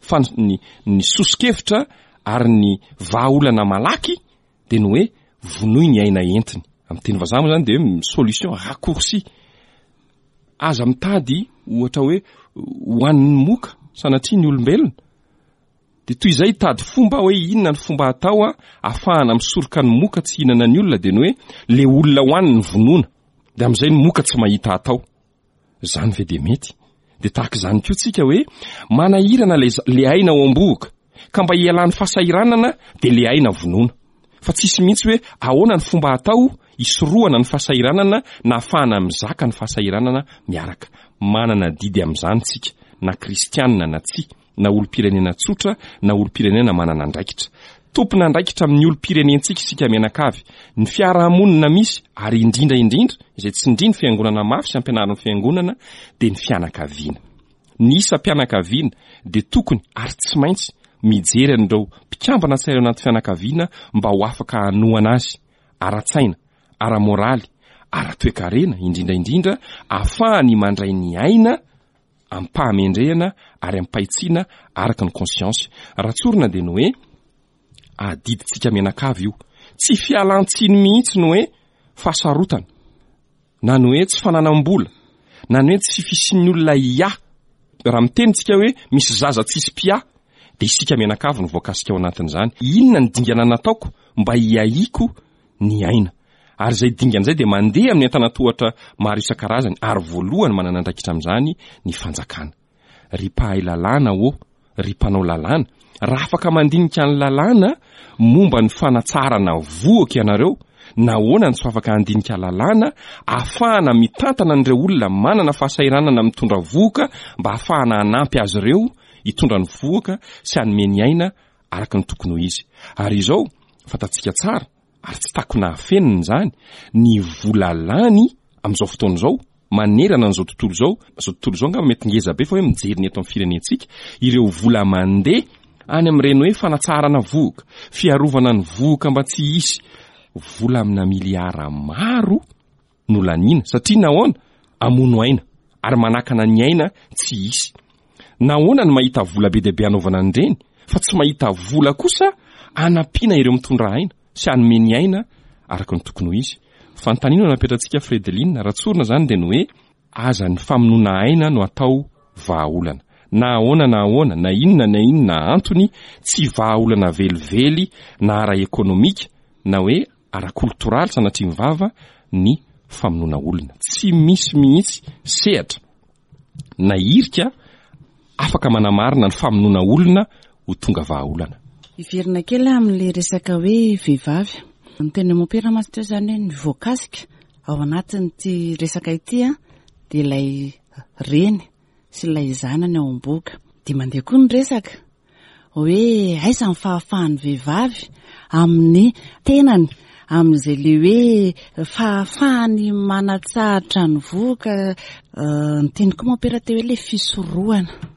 fa ny ny soso-kevitra ary ny vahaolana malaky dia ny hoe vonoy ny aina entiny. Amin'ny teny vazaha moa izany dia hoe solution raccourci. Aza mitady ohatra hoe hohanin'ny moka sanatria ny olombelona. Dia toy izay hitady fomba hoe inona ny fomba atao ahafahana misoroka ny moka tsy hihinana ny olona dia ny hoe le olona hoaniny no vonoina. Dia amin'izay ny moka tsy mahita atao. Izany ve dia mety? Dia tahaka izany koa tsika hoe manahirana le le aina ao am-bohoka ka mba hialan'ny fahasahiranana dia le aina vonoina. Fa tsisy mihitsy hoe ahoana ny fomba atao hisorohana ny fahasahiranana na ahafahana mizaka ny fahasahiranana miaraka. Manana adidy amin'izany tsika na kristianina na tsia. na olom-pirenena tsotra na olom-pirenena manana andraikitra. Tompon'andraikitra amin'ny olom-pirenentsika isika mianakavy, ny fiarahamonina misy ary indrindra indrindra izay tsindrin'ny fiangonana mafy sy ampianarin'ny fiangonana dia ny fianakaviana. Ny isam-pianakaviana dia tokony ary tsy maintsy mijery an'ireo mpikambana tsirairay ao anaty fianakaviana mba ho afaka hanohana azy ara-tsaina, ara-moraly, ara-toekarena indrindra indrindra ahafahany mandray ny aina amim-pahamendrehana ary amim-pahitsiana araka ny conscience. Raha tsorina dia ny hoe adidintsika mianakavy io. Tsy fialan-tsiny mihitsy ny hoe fahasarotana, na ny hoe tsy fananam-bola, na ny hoe tsy fisian'ny olona hiahy. Raha miteny tsika hoe misy zaza tsisy mpiahy, dia isika mianakavy no voakasika ao anatin'izany. Inona ny dingana nataoko mba hiahiako ny aina. Ary izay dingana izay dia mandeha amin'ny antanantohatra maro isan-karazany ary voalohany manana andraikitra amin'izany ny fanjakana. Ry mpahay lalàna ô, ry mpanao lalàna, raha afaka mandinika ny lalàna momba ny fanatsarana vohoka ianareo, nahoana no tsy afaka handinika lalàna ahafahana mitantana an'ireo olona manana fahasahiranana mitondra vohoka mba ahafahana hanampy azy ireo hitondra ny vohoka sy hanome ny aina araka ny tokony ho izy. Ary izao, fantatsika tsara, ary tsy takona afenina izany, ny vola lany amin'izao fotoana izao, manerana an'izao tontolo izao, izao tontolo izao angamba mety ngeza be fa hoe mijery ny eto amin'ny firenentsika, ireo vola mandeha any amin'ireny hoe fanatsaharana vohoka, fiarovana ny vohoka mba tsy hisy, vola amina miliara maro, no laniana satria nahoana? Hamono aina ary manakana ny aina tsy hisy. Nahoana no mahita vola be dia be hanaovana an'ireny fa tsy mahita vola kosa hanampiana ireo mitondra aina sy hanome ny aina araka ny tokony ho izy? Fanontaniana no napetratsika Fredeline, raha tsorina izany dia ny hoe aza ny famonoana aina no atao vahaolana. Na ahoana na ahoana, na inona na inona antony, tsy vahaolana velively na ara-ekonomika na hoe ara-koltoraly sanatria ny vava ny famonoana olona. Tsy misy mihitsy sehatra na hirika afaka manamarina ny famonoana olona ho tonga vahaolana. Hiverina kely aho amin'ilay resaka hoe vehivavy. Ny tenin'i Mompera mantsy teo izany hoe ny voakasika ao anatin'ity resaka ity dia ilay reny sy ilay zanany ao am-bohoka. Dia mandeha koa ny resaka hoe aiza ny fahafahan'ny vehivavy amin'ny tenany, amin'izay le hoe fahafahany manatsahatra ny vohoka. Niteny koa mompera teo hoe le fisorohana.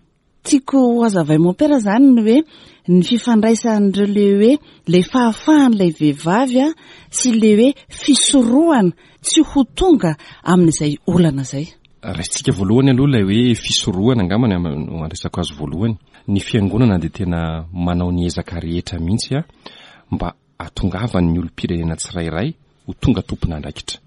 Tiako ho hazavain'i mompera izany ny hoe ny fifandraisan'ireo le hoe le fahafahan'ilay vehivavy sy le hoe fisorohana tsy ho tonga amin'izay olana izay. Raisintsika voalohany aloha ilay hoe fisorohana angamba no andraisako azy voalohany. Ny fiangonana dia tena manao ny ezaka rehetra mihitsy mba hahatongavan'ny olom-pirenena tsirairay ho tonga tompon'andraikitra.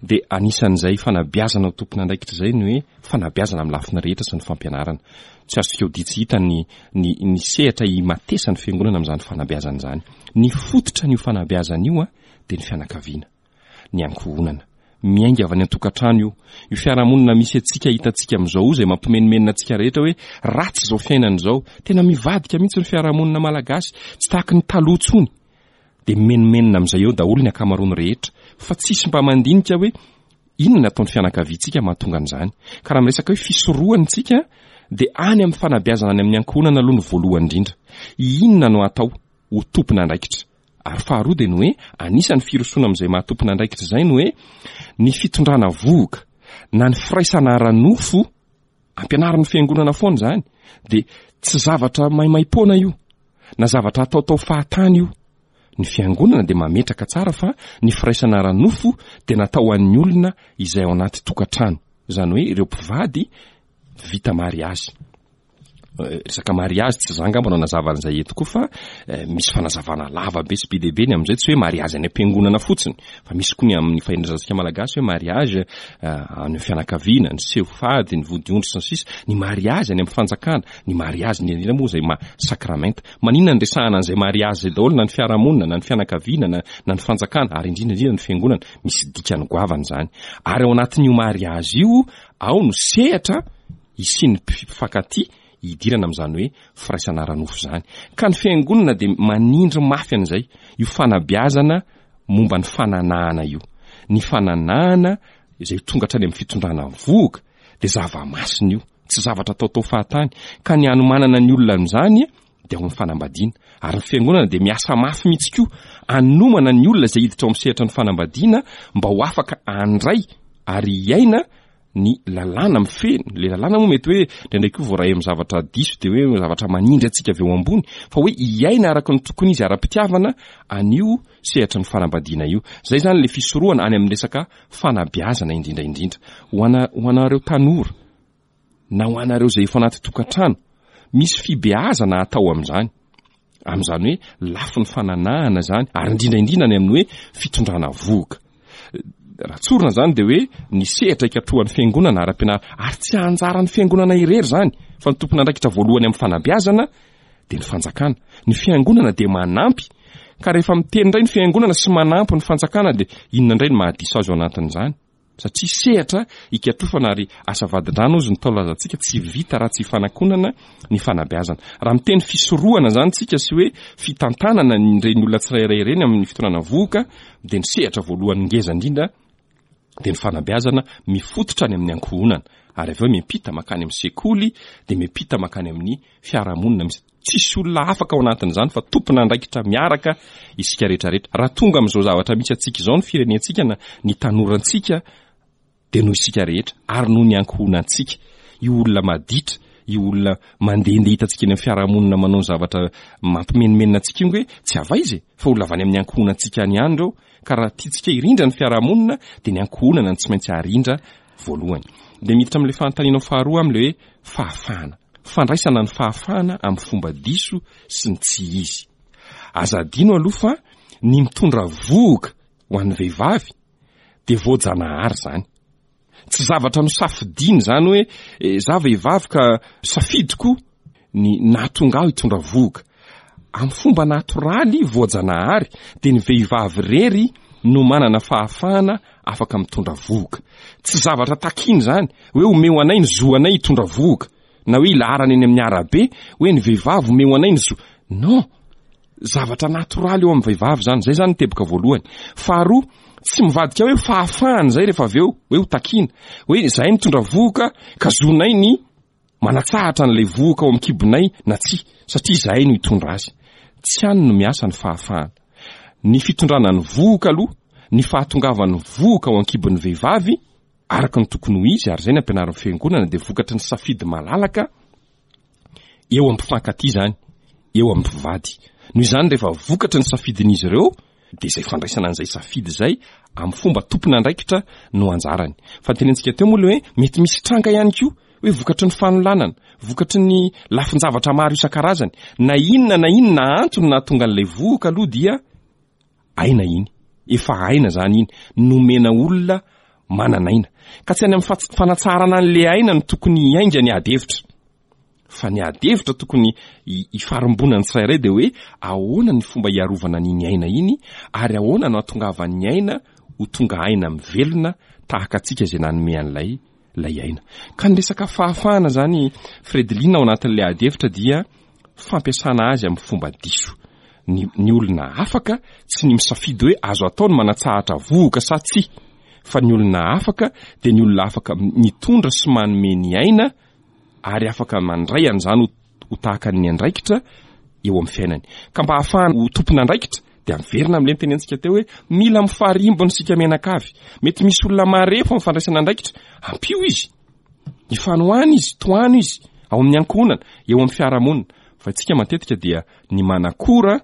Dia anisan'izay fanabeazana ho tompon'andraikitra izay ny hoe fanabeazana amin'ny lafiny rehetra sy ny fampianarana. Tsy azontsika odian tsy hita ny ny ny sehatra imatesan'ny fiangonana amin'izany fanabeazana izany. Ny fototra an'io fanabeazana io dia ny fianakaviana. ny ankohonana. Miainga avy any an-tokantrano io. Io fiarahamonina misy antsika hitantsika amin'izao io izay mampimenomenona antsika rehetra hoe ratsy izao fiainana izao. Tena mivadika mihitsy ny fiarahamonina malagasy, tsy tahaky ny taloha intsony. Dia mimenomenona amin'izay eo daholo ny ankamaroany rehetra. Fa tsisy mba mandinika hoe inona ny ataon'ny fianakaviantsika mahatonga an'izany. Ka raha miresaka hoe fisorohana isika dia any amin'ny fanabeazana any amin'ny ankohonana aloha no voalohany indrindra. Inona no atao ho tompon'andraikitra? Ary faharoa dia ny hoe anisan'ny firosoana amin'izay maha tompon'andraikitra izay ny hoe ny fitondrana vohoka na ny firaisana ara-nofo, ampianarin'ny fiangonana foana izany, dia tsy zavatra maimaim-poana io na zavatra ataotao fahatany io. Ny fiangonana dia mametraka tsara fa ny firaisana ara-nofo dia natao ho an'ny olona izay ao anaty tokantrano, izany hoe ireo mpivady vita mariazy. Resaka mariazy tsy za angamba no hanazava an'izay eto koa fa misy fanazavana lava be sy be dia be ny amin'izay, tsy hoe mariazy any am-piangonana fotsiny fa misy koa ny amin'ny fahendrezantsika malagasy hoe mariazy any amin'ny fianakaviana, ny seho fady, ny vodiondry sy ny sisa, ny mariazy any amin'ny fanjakana, ny mariazy indrindra indrindra moa izay maha sakramenta. Maninona ny resahana an'izay mariazy izay daholo na ny fiarahamonina na ny fianakaviana na na ny fanjakana ary indrindra indrindra ny fiangonana, misy dikany goavana izany. Ary ao anatin'io mariazy io ao no sehatra hisian'ny mpifankatia hidirana amin'izany hoe firaisana ara-nofo izany. Ka ny fiangonana dia manindry mafy an'izay, io fanabeazana momba ny fananahana io. Ny fananahana izay tonga hatrany amin'ny fitondrana vohoka dia zava-masina io, tsy zavatra ataotao fahatany. Ka ny hanomanana ny olona amin'izany dia ao amin'ny fanambadiana. Ary ny fiangonana dia miasa mafy mihitsy koa hanomana ny olona izay hiditra ao amin'ny sehatra ny fanambadiana mba ho afaka handray ary hiaina ny lalàna mifehy, le lalàna moa mety hoe indraindray koa voaray amin'ny zavatra diso dia hoe zavatra manindry antsika avy eo ambony fa hoe hiaina araka ny tokony izy ara-pitiavana an'io sehatry ny fanambadiana io. Zay zany le fisorohana any amin'ny resaka fanabeazana indrindra indrindra. Ho ana, ho anareo tanora na ho anareo izay efa anaty tokantrano, misy fibeazana atao amin'izany. Amin'izany hoe lafiny fananahana izany, ary indrindra indrindra any amin'ny hoe fitondrana vohoka. Raha tsorina izany dia hoe ny sehatra ikatrohan'ny fiangonana ara-pianarana, ary tsy anjaran'ny fiangonana irery izany, fa ny tompon'andraikitra voalohany amin'ny fanabeazana dia ny fanjakana. Ny fiangonana dia manampy, ka rehefa miteny indray ny fiangonana sy manampy ny fanjakana dia inona indray no mahadiso azy ao anatin'izany? Satria sehatra ikatrofana ary asa vadin-drano hozy ny Ntaolo lazantsika, tsy vita raha tsy ifanakonana ny fanabeazana. Raha miteny fisorohana izany tsika sy hoe fitantanana ireny olona tsirairay ireny amin'ny fitondrana vohoka dia ny sehatra voalohany ngeza indrindra dia ny fanabeazana mifototra any amin'ny ankohonana ary avy eo miampita mankany amin'ny sekoly dia miampita mankany amin'ny fiarahamonina misy Tsisy olona afaka ao anatin'izany fa tompon'andraikitra miaraka isika rehetra rehetra. Raha tonga amin'izao zavatra misy antsika izao ny firenentsika na ny tanorantsika dia noho isika rehetra ary noho ny ankohonantsika. Io olona maditra, io olona mandehandeha hitantsika eny amin'ny fiarahamonina manao ny zavatra mampimenomenona antsika io nge tsy avaiza e, fa olona avy any amin'ny ankohonantsika any ihany ireo. Ka raha tiantsika hirindra ny fiarahamonina dia ny ankohonana no tsy maintsy arindra voalohany. Dia miditra amin'ilay fanontanianao faharoa amin'ilay hoe fahafahana. Fandraisana ny fahafahana amin'ny fomba diso sy ny tsy izy. Aza adino aloha fa ny mitondra vohoka ho an'ny vehivavy dia voajanahary izany. Tsy zavatra nosafidiana izany hoe za vehivavy ka safidiko ny nahatonga ahy hitondra vohoka. Amin'ny fomba natoraly voajanahary dia ny vehivavy irery no manana fahafahana afaka mitondra vohoka. Tsy zavatra takiana izany hoe omeo anay ny zo anay hitondra vohoka na hoe ilaharana eny amin'ny arabe hoe ny vehivavy omeo anay ny zo. Non! Zavatra natoraly eo amin'ny vehivavy izany. Izay izany ny teboka voalohany. Faharoa, tsy mivadika hoe fahafahana izay rehefa avy eo hoe ho takiana. Hoe izahay mitondra vohoka ka zonay ny manatsahatra an'ilay vohoka ao amin'ny kibonay na tsia, satria izahay no hitondra azy. Tsy any no miasa ny fahafahana. Ny fitondrana ny vohoka aloha, ny fahatongavan'ny vohoka ao an-kibon'ny vehivavy, araka ny tokony ho izy, ary izay ny ampianarin'ny Fiangonana, dia vokatry ny safidy malalaka eo amin'ny mpifankatia izany, eo amin'ny mpivady. Noho izany, rehefa vokatry ny safidin'izy ireo, dia izay fandraisana an'izay safidy izay amin'ny fomba tompon'andraikitra no anjarany. Fa ny tenentsika teo moa ilay hoe mety misy tranga ihany koa hoe vokatry ny fanolanana, vokatry ny lafin-javatra maro isan-karazany, na inona na inona antony nahatonga an'ilay vohoka aloha dia aina iny, efa aina izany iny, nomena olona manana aina. Ka tsy any amin'ny fanatsaharana an'ilay aina no tokony hiainga ny ady hevitra. Fa ny ady hevitra tokony hifarimbonan'ny tsirairay dia hoe ahoana ny fomba hiarovana an'iny aina iny ary ahoana no hahatongavan'ny aina ho tonga aina mivelona tahaka antsika izay nanome an'ilay ilay aina. Ka ny resaka fahafahana izany Fredeline ao anatin'ilay ady hevitra dia fampiasana azy amin'ny fomba diso. Ny, ny olona afaka tsy ny misafidy hoe azo atao ny manatsahatra vohoka sa tsia fa ny olona afaka dia ny olona afaka mitondra sy manome ny aina ary afaka mandray an'izany ho tahaka ny andraikitra eo amin'ny fiainany. Ka mba hahafahana ho tompon'andraikitra dia miverina amin'ilay nitenentsika teo hoe mila mifarimbona isika mianakavy. Mety misy olona marefo amin'ny fandraisana andraikitra, ampio izy. Ifanohana izy, tohano izy ao amin'ny ankohonana, eo amin'ny fiarahamonina. Fa isika matetika dia ny manakora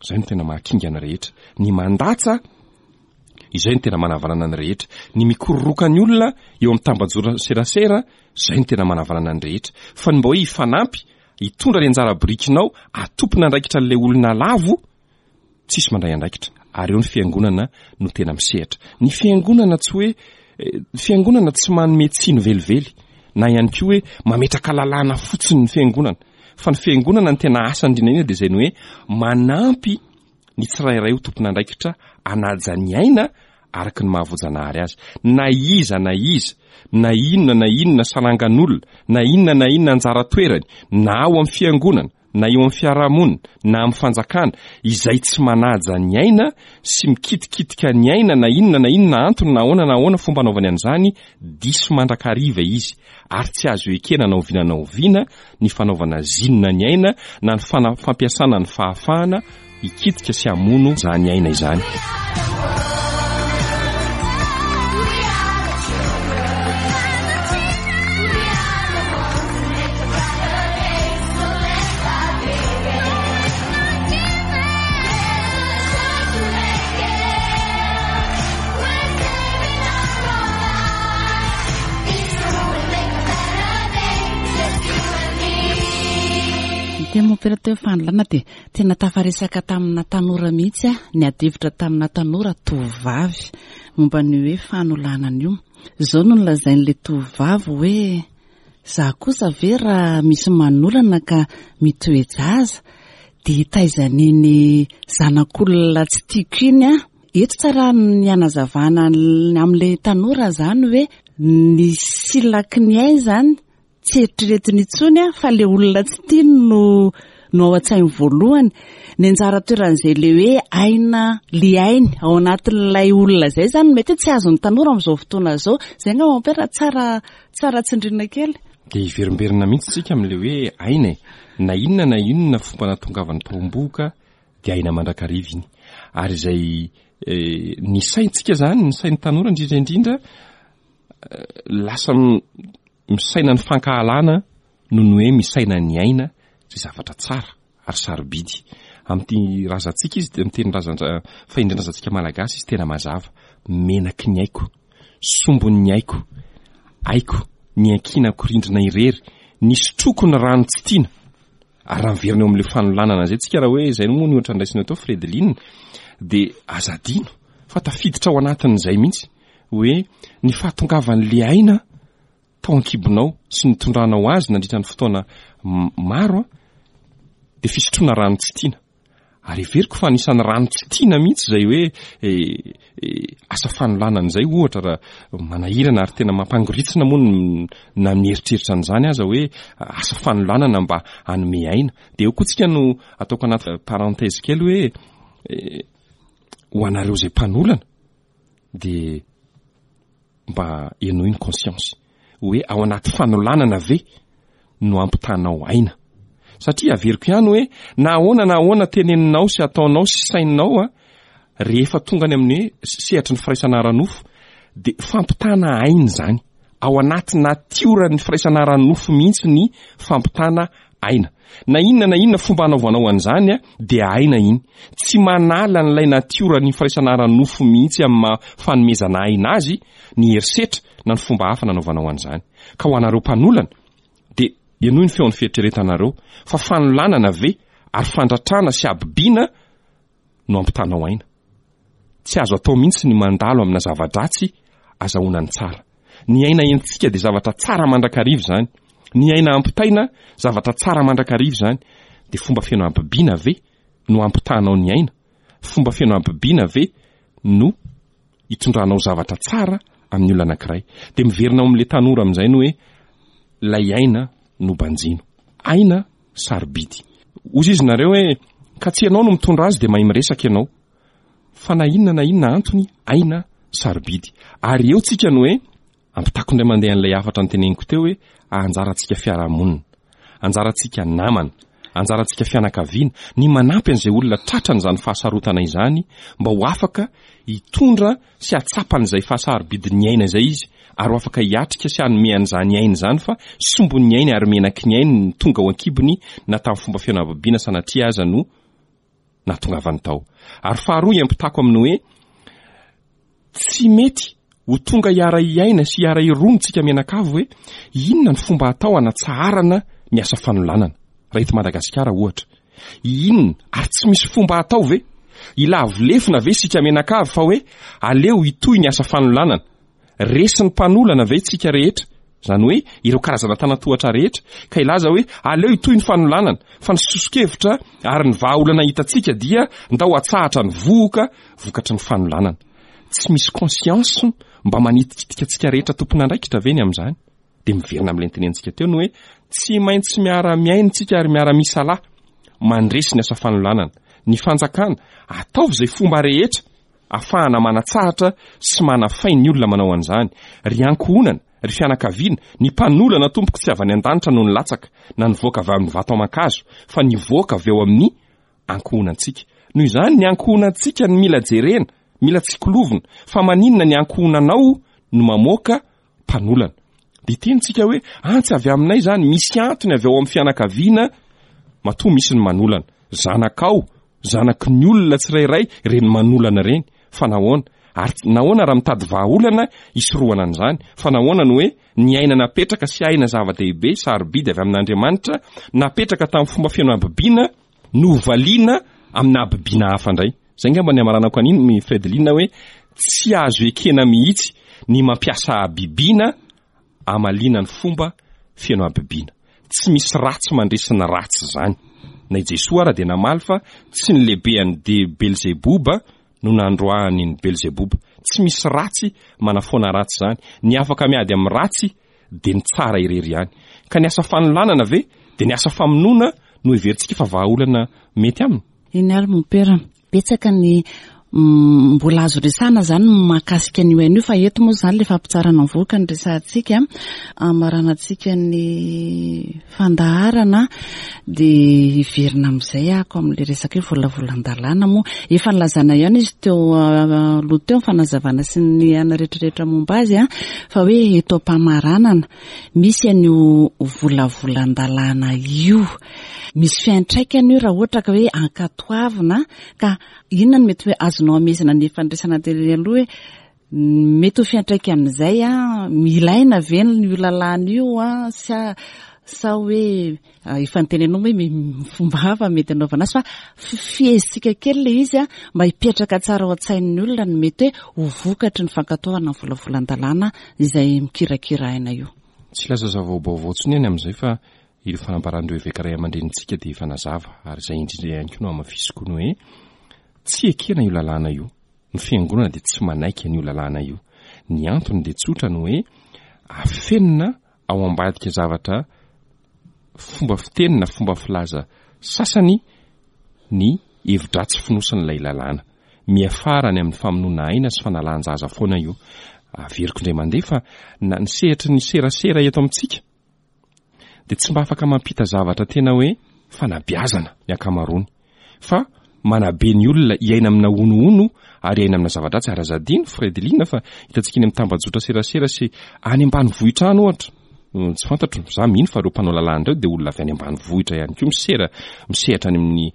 Izay no tena mahakinga ny rehetra. Ny mandatsa, izay no tena manavanana ny rehetra. Ny mikororoka ny olona eo amin'ny tambajora serasera, izay no tena manavanana ny rehetra. Fa ny mba hoe hifanampy, hitondra ny anjara birikinao, atompon'andraikitra an'ilay olona lavo, tsisy mandray andraikitra. Ary eo ny fiangonana no tena misehatra. Ny fiangonana tsy hoe, ny fiangonana tsy manome tsiny velively, na ihany koa hoe mametraka lalàna fotsiny ny fiangonana. Fa ny fiangonana ny tena asany indrindra indrindra dia izay ny hoe manampy ny tsirairay ho tompon'andraikitra hanaja ny aina araka ny maha voajanahary azy. Na iza na iza, na inona na inona sarangan'olona, na inona na inona anjara toerany, na ao amin'ny fiangonana, na eo amin'ny fiarahamonina, na amin'ny fanjakana, izay tsy manaja ny aina sy mikitikitika ny aina na inona na inona antony na ahoana na ahoana fomba anaovany an'izany, diso mandrakariva izy. ary tsy azo ekena na oviana na oviana ny fanaovana zinona ny aina na ny fampiasana ny fahafahana hikitika sy hamono izany aina izany. Teny mompera teo fanolana dia tena tafaresaka tamina tanora mihitsy aho, niady hevitra tamina tanora tovovavy momba ny hoe fanolanana io. Izao no nolazain'ilay tovovavy hoe za kosa ve raha misy manolana ka mitoe-jaza dia hitaiza an'iny zanak'olona tsy tiako iny aho. Eto tsara ny hanazavana amin'ilay tanora izany hoe ny silaky ny ainy izany tsy eritreretiny intsony fa ilay olona tsy tiany no no ao an-tsainy voalohany. Ny anjara toeran'izay ilay hoe aina le ainy ao anatin'ilay olona izay izany mety hoe tsy azon'ny tanora amin'izao fotoana izao. Izay angamba mon père tsara tsara tsindriana kely. Dia hiverimberina mihitsy isika amin'ilay hoe aina e. Na inona na inona fomba nahatongavan'ny tao-am-bohoka dia aina mandrakariva iny. Ary izay ny saintsika izany, ny sain'ny tanora indrindra indrindra, lasa misaina ny fankahalana noho ny hoe misaina ny aina izay zavatra tsara ary sarobidy. Amin'ity razantsika izy, amin'ny teny razan-dra, fahendren-drazantsika malagasy izy tena mazava, menaky ny aiko, sombin'ny aiko, aiko, niankinako rindrina irery, nisotroako ny rano tsy tiana. Ary raha miverina eo amin'ilay fanolanana izay tsika raha hoe izay moa ny ohatra ndraisina teo Fredeline dia aza adino fa tafiditra ao anatin'izay mihitsy. hoe ny fahatongavan'le aina tao an-kibonao sy nitondranao azy nandritra ny fotoana maro dia fisotroana rano tsy tiana. Ary heveriko fa anisan'ny rano tsy tiana mihitsy izay hoe asa fanolanana izay ohatra raha manahirana ary tena mampangoritsina moa ny na mieritreritra an'izany aza hoe asa fanolanana mba hanome aina. Dia eo koa tsika no ataoko anaty parenthèse kely hoe ho anareo izay mpanolana dia mba henoy ny conscience hoe ao anaty fanolanana ve no ampitanao aina? Satria averiko ihany hoe na ahoana na ahoana teneninao sy ataonao sy saininao a, rehefa tonga any amin'ny hoe sehatry ny firaisana ara-nofo dia fampitana aina izany. Ao anaty natioran'ny firaisana ara-nofo mihitsy ny fampitana aina. Na inona na inona fomba anaovanao an'izany dia aina iny. Tsy manala an'ilay natioran'ny firaisana ara-nofo mihitsy amin'ny maha fanomezana aina azy ny herisetra na ny fomba hafa nanaovanao an'izany. Ka ho anareo mpanolana dia henoy ny feon'ny fieritreretanareo fa fanolanana ve ary fandratrana sy habibiana no ampitanao aina. Tsy azo atao mihitsy ny mandalo amina zava-dratsy azahoana ny tsara. Ny aina entintsika dia zavatra tsara mandrakariva izany. Ny aina ampitaina, zavatra tsara mandrakariva izany. Dia fomba feno habibiana ve no ampitanao ny aina? Fomba feno habibiana ve no hitondranao zavatra tsara amin'ny olona anankiray? Dia miverina ao amin'ilay tanora amin'izay ny hoe ilay aina no banjino. Aina sarobidy. Hozy izy nareo hoe ka tsy ianao no mitondra azy dia mahay miresaka ianao. Fa na inona na inona antony, aina sarobidy. Ary eo tsika no hoe, ampitako indray mandeha an'ilay hafatra noteneniko teo hoe anjarantsika fiarahamonina, anjarantsika namana, anjarantsika fianakaviana ny manampy an'izay olona tratran'izany fahasarotana izany mba ho afaka hitondra sy hahatsapa an'izay fahasarobidin'ny aina izay izy ary ho afaka hiatrika sy hanome an'izany aina izany fa sombin'ny ainy ary menaky ny ainy ny tonga ao an-kibony na tamin'ny fomba feno habibiana sanatria aza no nahatongavany tao. Ary faharoa hiampitako amin'ny hoe tsy mety ho tonga hiara-hiaina sy hiara-hirono tsika mianakavy hoe inona ny fomba atao hanatsaharana ny asa fanolanana raha eto Madagasikara ohatra. Inona ary tsy misy fomba atao ve? Hilavo lefona ve isika mianakavy fa hoe aleo hitohy ny asa fanolanana? Resin'ny mpanolana ve isika rehetra? Izany hoe ireo karazana tanan-tohatra rehetra ka hilaza hoe aleo hitohy ny fanolanana fa ny soso-kevitra ary ny vahaolana hitantsika dia ndao atsahatra ny vohoka vokatry ny fanolanana. Tsy misy conscience mba manitikitika antsika rehetra tompon'andraikitra ve ny amin'izany? Dia miverina amin'ilay notenenintsika teo ny hoe tsy maintsy miara-miaina isika ary miara-misalahy mandresy ny asa fanolanana. Ny fanjakana, ataovy izay fomba rehetra afahana manatsahatra sy manafay ny olona manao an'izany. Ry ankohonana, ry fianakaviana, ny mpanolana tompoko tsy avy any an-danitra no nilatsaka na nivoaka avy amin'ny vato aman-kazo fa nivoaka avy ao amin'ny ankohonantsika. Noho izany, ny ankohonantsika no mila jerena, mila tsikolovina, fa maninona ny ankohonanao no mamoaka mpanolana. Dia hiteny tsika hoe, antsy avy aminay izany, misy antony avy ao amin'ny fianakaviana matoa misy ny manolana. Zanakao, zanaky ny olona tsirairay ireny manolana ireny. Fa nahoana? Ary nahoana raha mitady vahaolana hisorohana an'izany? Fa nahoana no hoe ny aina napetraka sy aina zava-dehibe, sarobidy avy amin'Andriamanitra, napetraka tamin'ny fomba feno habibiana, novaliana amina habibiana hafa indray? Izay angamba ny hamaranako an'iny Fredeline hoe tsy azo ekena mihitsy ny mampiasa habibiana hamaliana ny fomba feno habibiana. Tsy misy ratsy mandresy ny ratsy izany. Na i Jesoa ara dia namaly fa tsy ny lehibean'i de Belzeboba no nandroahany ny Belzeboba. Tsy misy ratsy manafoana ratsy izany. Ny afaka miady amin'ny ratsy dia ny tsara irery ihany. Ka ny asa fanolanana ve dia ny asa famonoana no heverintsika fa vahaolana mety aminy? Eny ary mompera, betsaka ny mbola azo resahana zany mahakasika an'io aina io fa eto moa zany le fampitsarana mivoaka ny resahantsika amaranantsika ny fandaharana dia hiverina amin'izay ako amin'le resaka hoe volavolan-dalàna moa efa nilazana ihany izy teo aloha teo ny fanazavana sy ny ana rehetrarehetra momba azy a fa hoe eto am-pamaranana misy an'io volavolan-dalàna io Misy fiantraikany io raha ohatra ka hoe ankatoavina ka inona no mety hoe azonao amehezana ny fandraisana tery aloha hoe mety ho fiantraikan'izay a, ilaina ve io lalàna io a sa Sa hoe efa noteneninao hoe fomba hafa mety hanaovana azy fa fifehezitsika kely ilay izy mba hipetraka tsara ao an-tsain'ny olona ny mety hoe ho vokatry ny fankatoavana ny volavolan-dalàna izay mikirakira aina io. Tsy hilaza zava-baovao intsony aho ny amin'izay fa ireo fanambaran'ireo eveka ray aman-drenintsika dia efa nazava ary izay indrindra ihany koa no hamafisiko ny hoe tsy ekena io lalàna io. Ny fiangonana dia tsy manaiky an'io lalàna io. Ny antony dia tsotra ny hoe afenina ao ambadika zavatra fomba fiteny na fomba filaza sasany ny hevi-dratsy fonosin'ilay lalàna. Miafara any amin'ny famonoana aina sy fanalan-jaza foana io. Averiko indray mandeha fa na ny sehatry ny serasera eto amintsika dia tsy mba afaka mampita zavatra tena hoe fanabeazana ny ankamaroany fa manabe ny olona hiaina amina honohono ary hiaina amina zava-dratsy ary aza adino Fredeline fa hitantsika eny amin'ny tambajotra serasera sy any ambanivohitra any ohatra mm, tsy fantatro za mino fa ireo mpanao lalàna ireo dia olona avy any ambanivohitra ihany koa misera misehatra any amin'ny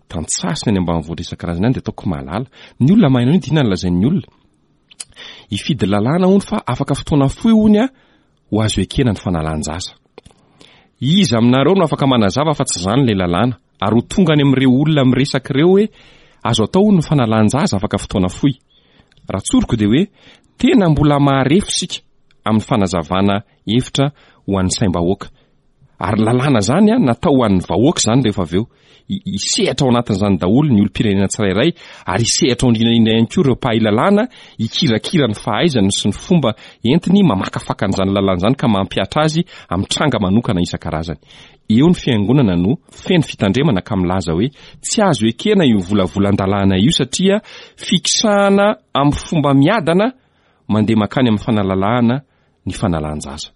tantsaha sy ny any ambanivohitra isan-karazany any dia ataoko mahalala ny olona mahay an'io dia inona no lazain'ny olona hifidy lalàna hono fa afaka fotoana fohy hono a ho azo ekena ny fanalan-jaza. Iza aminareo no afaka manazava fa tsy izany ilay lalàna, ary ho tonga any amin'ireo olona miresaka ireo hoe azo atao hono ny fanalan-jaza afaka fotoana fohy. Raha tsoriko dia hoe tena mbola maharefo isika amin'ny fanazavana hevitra ho an'ny saim-bahoaka. Ary lalàna izany an, natao ho an'ny vahoaka izany rehefa avy eo. Hisehatra ao anatin'izany daholo ny olom-pirenena tsirairay ary hisehatra ao indrindra indrindra ihany koa ireo mpahay lalàna hikirakira ny fahaizany sy ny fomba entiny mamakafaka an'izany lalàna izany ka mampihatra azy amin'ny tranga manokana isan-karazany. Eo ny fiangonana no feno fitandremana ka milaza hoe tsy azo ekena io volavolan-dalàna io satria fikisahana amin'ny fomba miadana mandeha mankany amin'ny fanalalahana ny fanalan-jaza.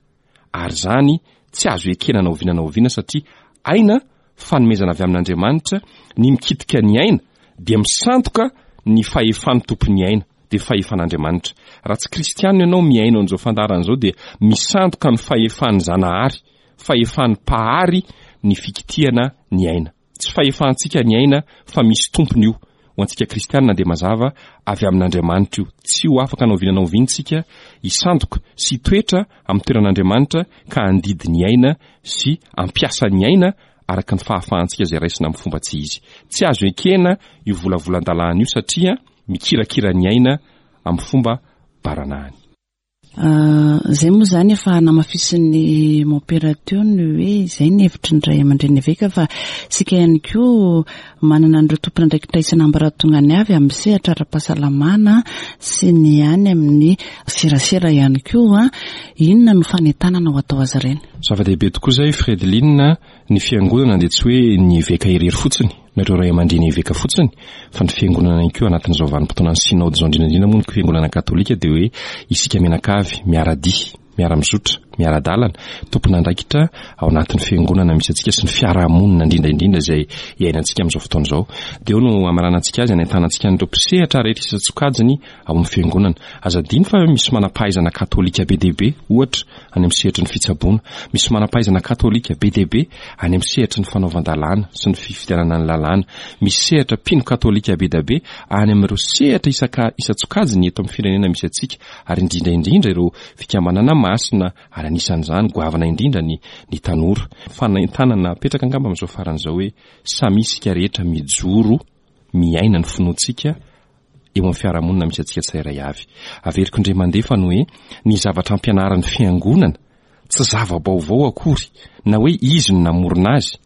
ary izany tsy azo ekena na oviana na oviana satria aina fanomezana avy amin'Andriamanitra, ny mikitika ny aina dia misandoka ny fahefan'ny tompon'ny aina, dia fahefan'Andriamanitra. Raha tsy kristianina ianao mihaino an'izao fandaharana izao dia misandoka ny fahefan'ny Zanahary, fahefan'ny Mpahary ny fikitihana ny aina. Tsy fahefantsika ny aina fa misy tompony io. Ho antsika kristianina dia mazava avy amin'Andriamanitra io. Tsy ho afaka na oviana na oviana isika hisandoka sy hitoetra amin'ny toeran'Andriamanitra ka handidy ny aina sy hampiasa ny aina araka ny fahafahantsika izay raisina amin'ny fomba tsy izy. Tsy azo ekena io volavolan-dalàna io satria mikirakira ny aina amin'ny fomba baranahiny. Izay moa izany efa namafisin'ny mompera teo ny hoe izay ny hevitry ny ray aman-dreny eveka fa isika ihany koa manana an'ireo tompon'andraikitra isan'ambaratongany avy amin'ny sehatra ara-pahasalamana sy ny any amin'ny serasera ihany koa. Inona no fanentanana ho atao azy ireny? Zava-dehibe tokoa izay Fredeline, ny fiangonana dia tsy hoe ny eveka irery fotsiny na ireo ray aman-dreny eveka fotsiny fa ny fiangonana ihany koa anatin'izao vanim-potoanan'ny sinaody izao indrindra indrindra moa ny fiangonana katolika dia hoe isika mianakavy miara-dia, miara-mizotra, miara-dalana, tompon'andraikitra ao anatin'ny fiangonana misy antsika sy ny fiarahamonina indrindra indrindra izay iainantsika amin'izao fotoana izao. Dia eo no hamaranantsika azy, hanentanantsika an'ireo mpisehatra rehetra isan-tsokajiny ao amin'ny fiangonana. Aza adino fa misy manam-pahaizana katolika be dia be, ohatra, any amin'ny sehatry ny fitsaboana. Misy manam-pahaizana katolika be dia be any amin'ny sehatry ny fanaovan-dalàna sy ny fifidianana ny lalàna. Misy sehatra mpino katolika be dia be any amin'ireo sehatra isaka isan-tsokajiny eto amin'ny firenena misy antsika, ary indrindra indrindra ireo fikambanana masina, ary anisan'izany goavana indrindra ny ny tanora. Fanentanana apetraka angamba amin'izao farany izao hoe samia isika rehetra mijoro miaina ny finoantsika eo amin'ny fiarahamonina misy antsika tsirairay avy. Averiko indray mandeha fa ny hoe ny zavatra ampianarin'ny fiangonana tsy zava-baovao akory na hoe izy no namorona azy.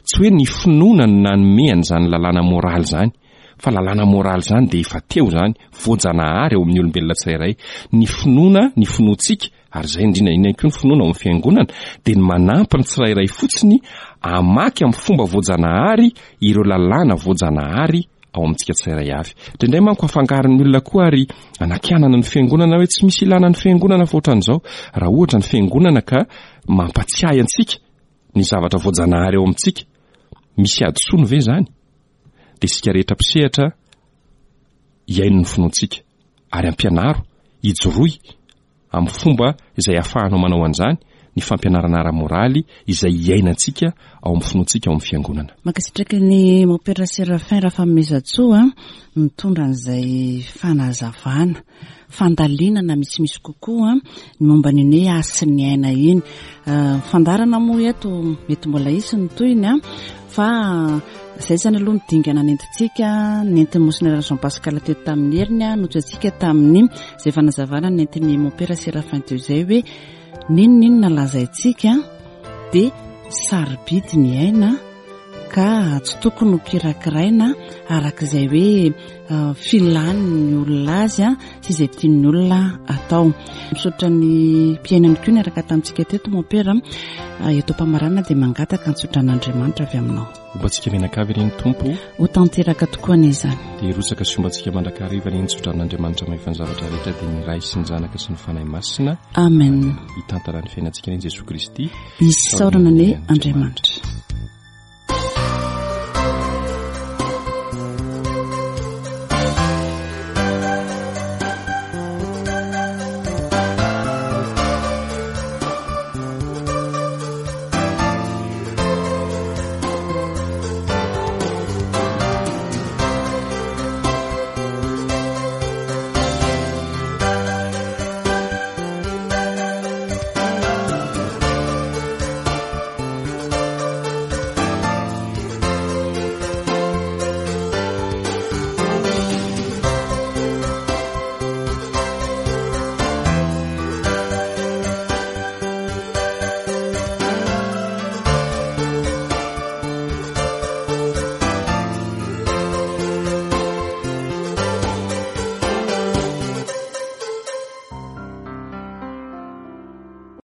Tsy hoe ny finoana no nanome an'izany lalàna moraly izany fa lalàna moraly izany dia efa teo izany, voajanahary ao amin'ny olombelona tsirairay. Ny finoana, ny finoantsika, ary izay indrindra indrindra ihany koa ny finoana ao amin'ny fiangonana dia ny manampy ny tsirairay fotsiny hamaky amin'ny fomba voajanahary ireo lalàna voajanahary ao amintsika tsirairay avy. Indraindray manko afangaron'ny olona koa ary anakianana ny fiangonana hoe tsy misy ilana ny fiangonana fa ohatran'izao. Raha ohatra ny fiangonana ka mampatsiahy antsika ny zavatra voajanahary ao amintsika, misy hadisoany ve izany? Dia isika rehetra mpisehatra hihaino ny finoantsika ary ampianaro, hijoroy amin'ny fomba izay ahafahanao manao an'izany. ny fampianarana ara-moraly izay iainantsika ao amin'ny finoantsika ao amin'ny fiangonana. Mankasitraka ny Mompera Séraphin Rafanomezantsoa nitondra an'izay fanazavana, fandalinana misimisy kokoa ny momba an'iny hoe hasin'ny aina iny. Fandaharana moa eto mety mbola hisy ny tohiny fa izay izany aloha ny dingana nentintsika, nentin'i Monsinera Jean Pascal teto tamin'ny heriny, notsoahintsika tamin'ny izay fanazavana nentin'i Mompera Séraphin teo izay hoe N'inon'inona lazaintsika dia sarobidy ny aina ka tsy tokony ho kirakiraina araka izay hoe filan'ny olona azy sy izay tian'ny olona atao. Misaotra ny mpihaino ihany koa niaraka tamintsika teto Mompera. Eto am-pamaranana dia mangataka ny tsodran'Andriamanitra avy aminao. Homba antsika mianakavy anie ny Tompo. Ho tanteraka tokoa anie izany. Dia hirotsaka sy homba antsika mandrakariva anie ny tsodranon'Andriamanitra mahefa ny zavatra rehetra dia ny Ray sy ny Zanaka sy ny Fanahy Masina. Amen. Hitantana ny fiainantsika anie Jesoa Kristy. Isaorana anie Andriamanitra.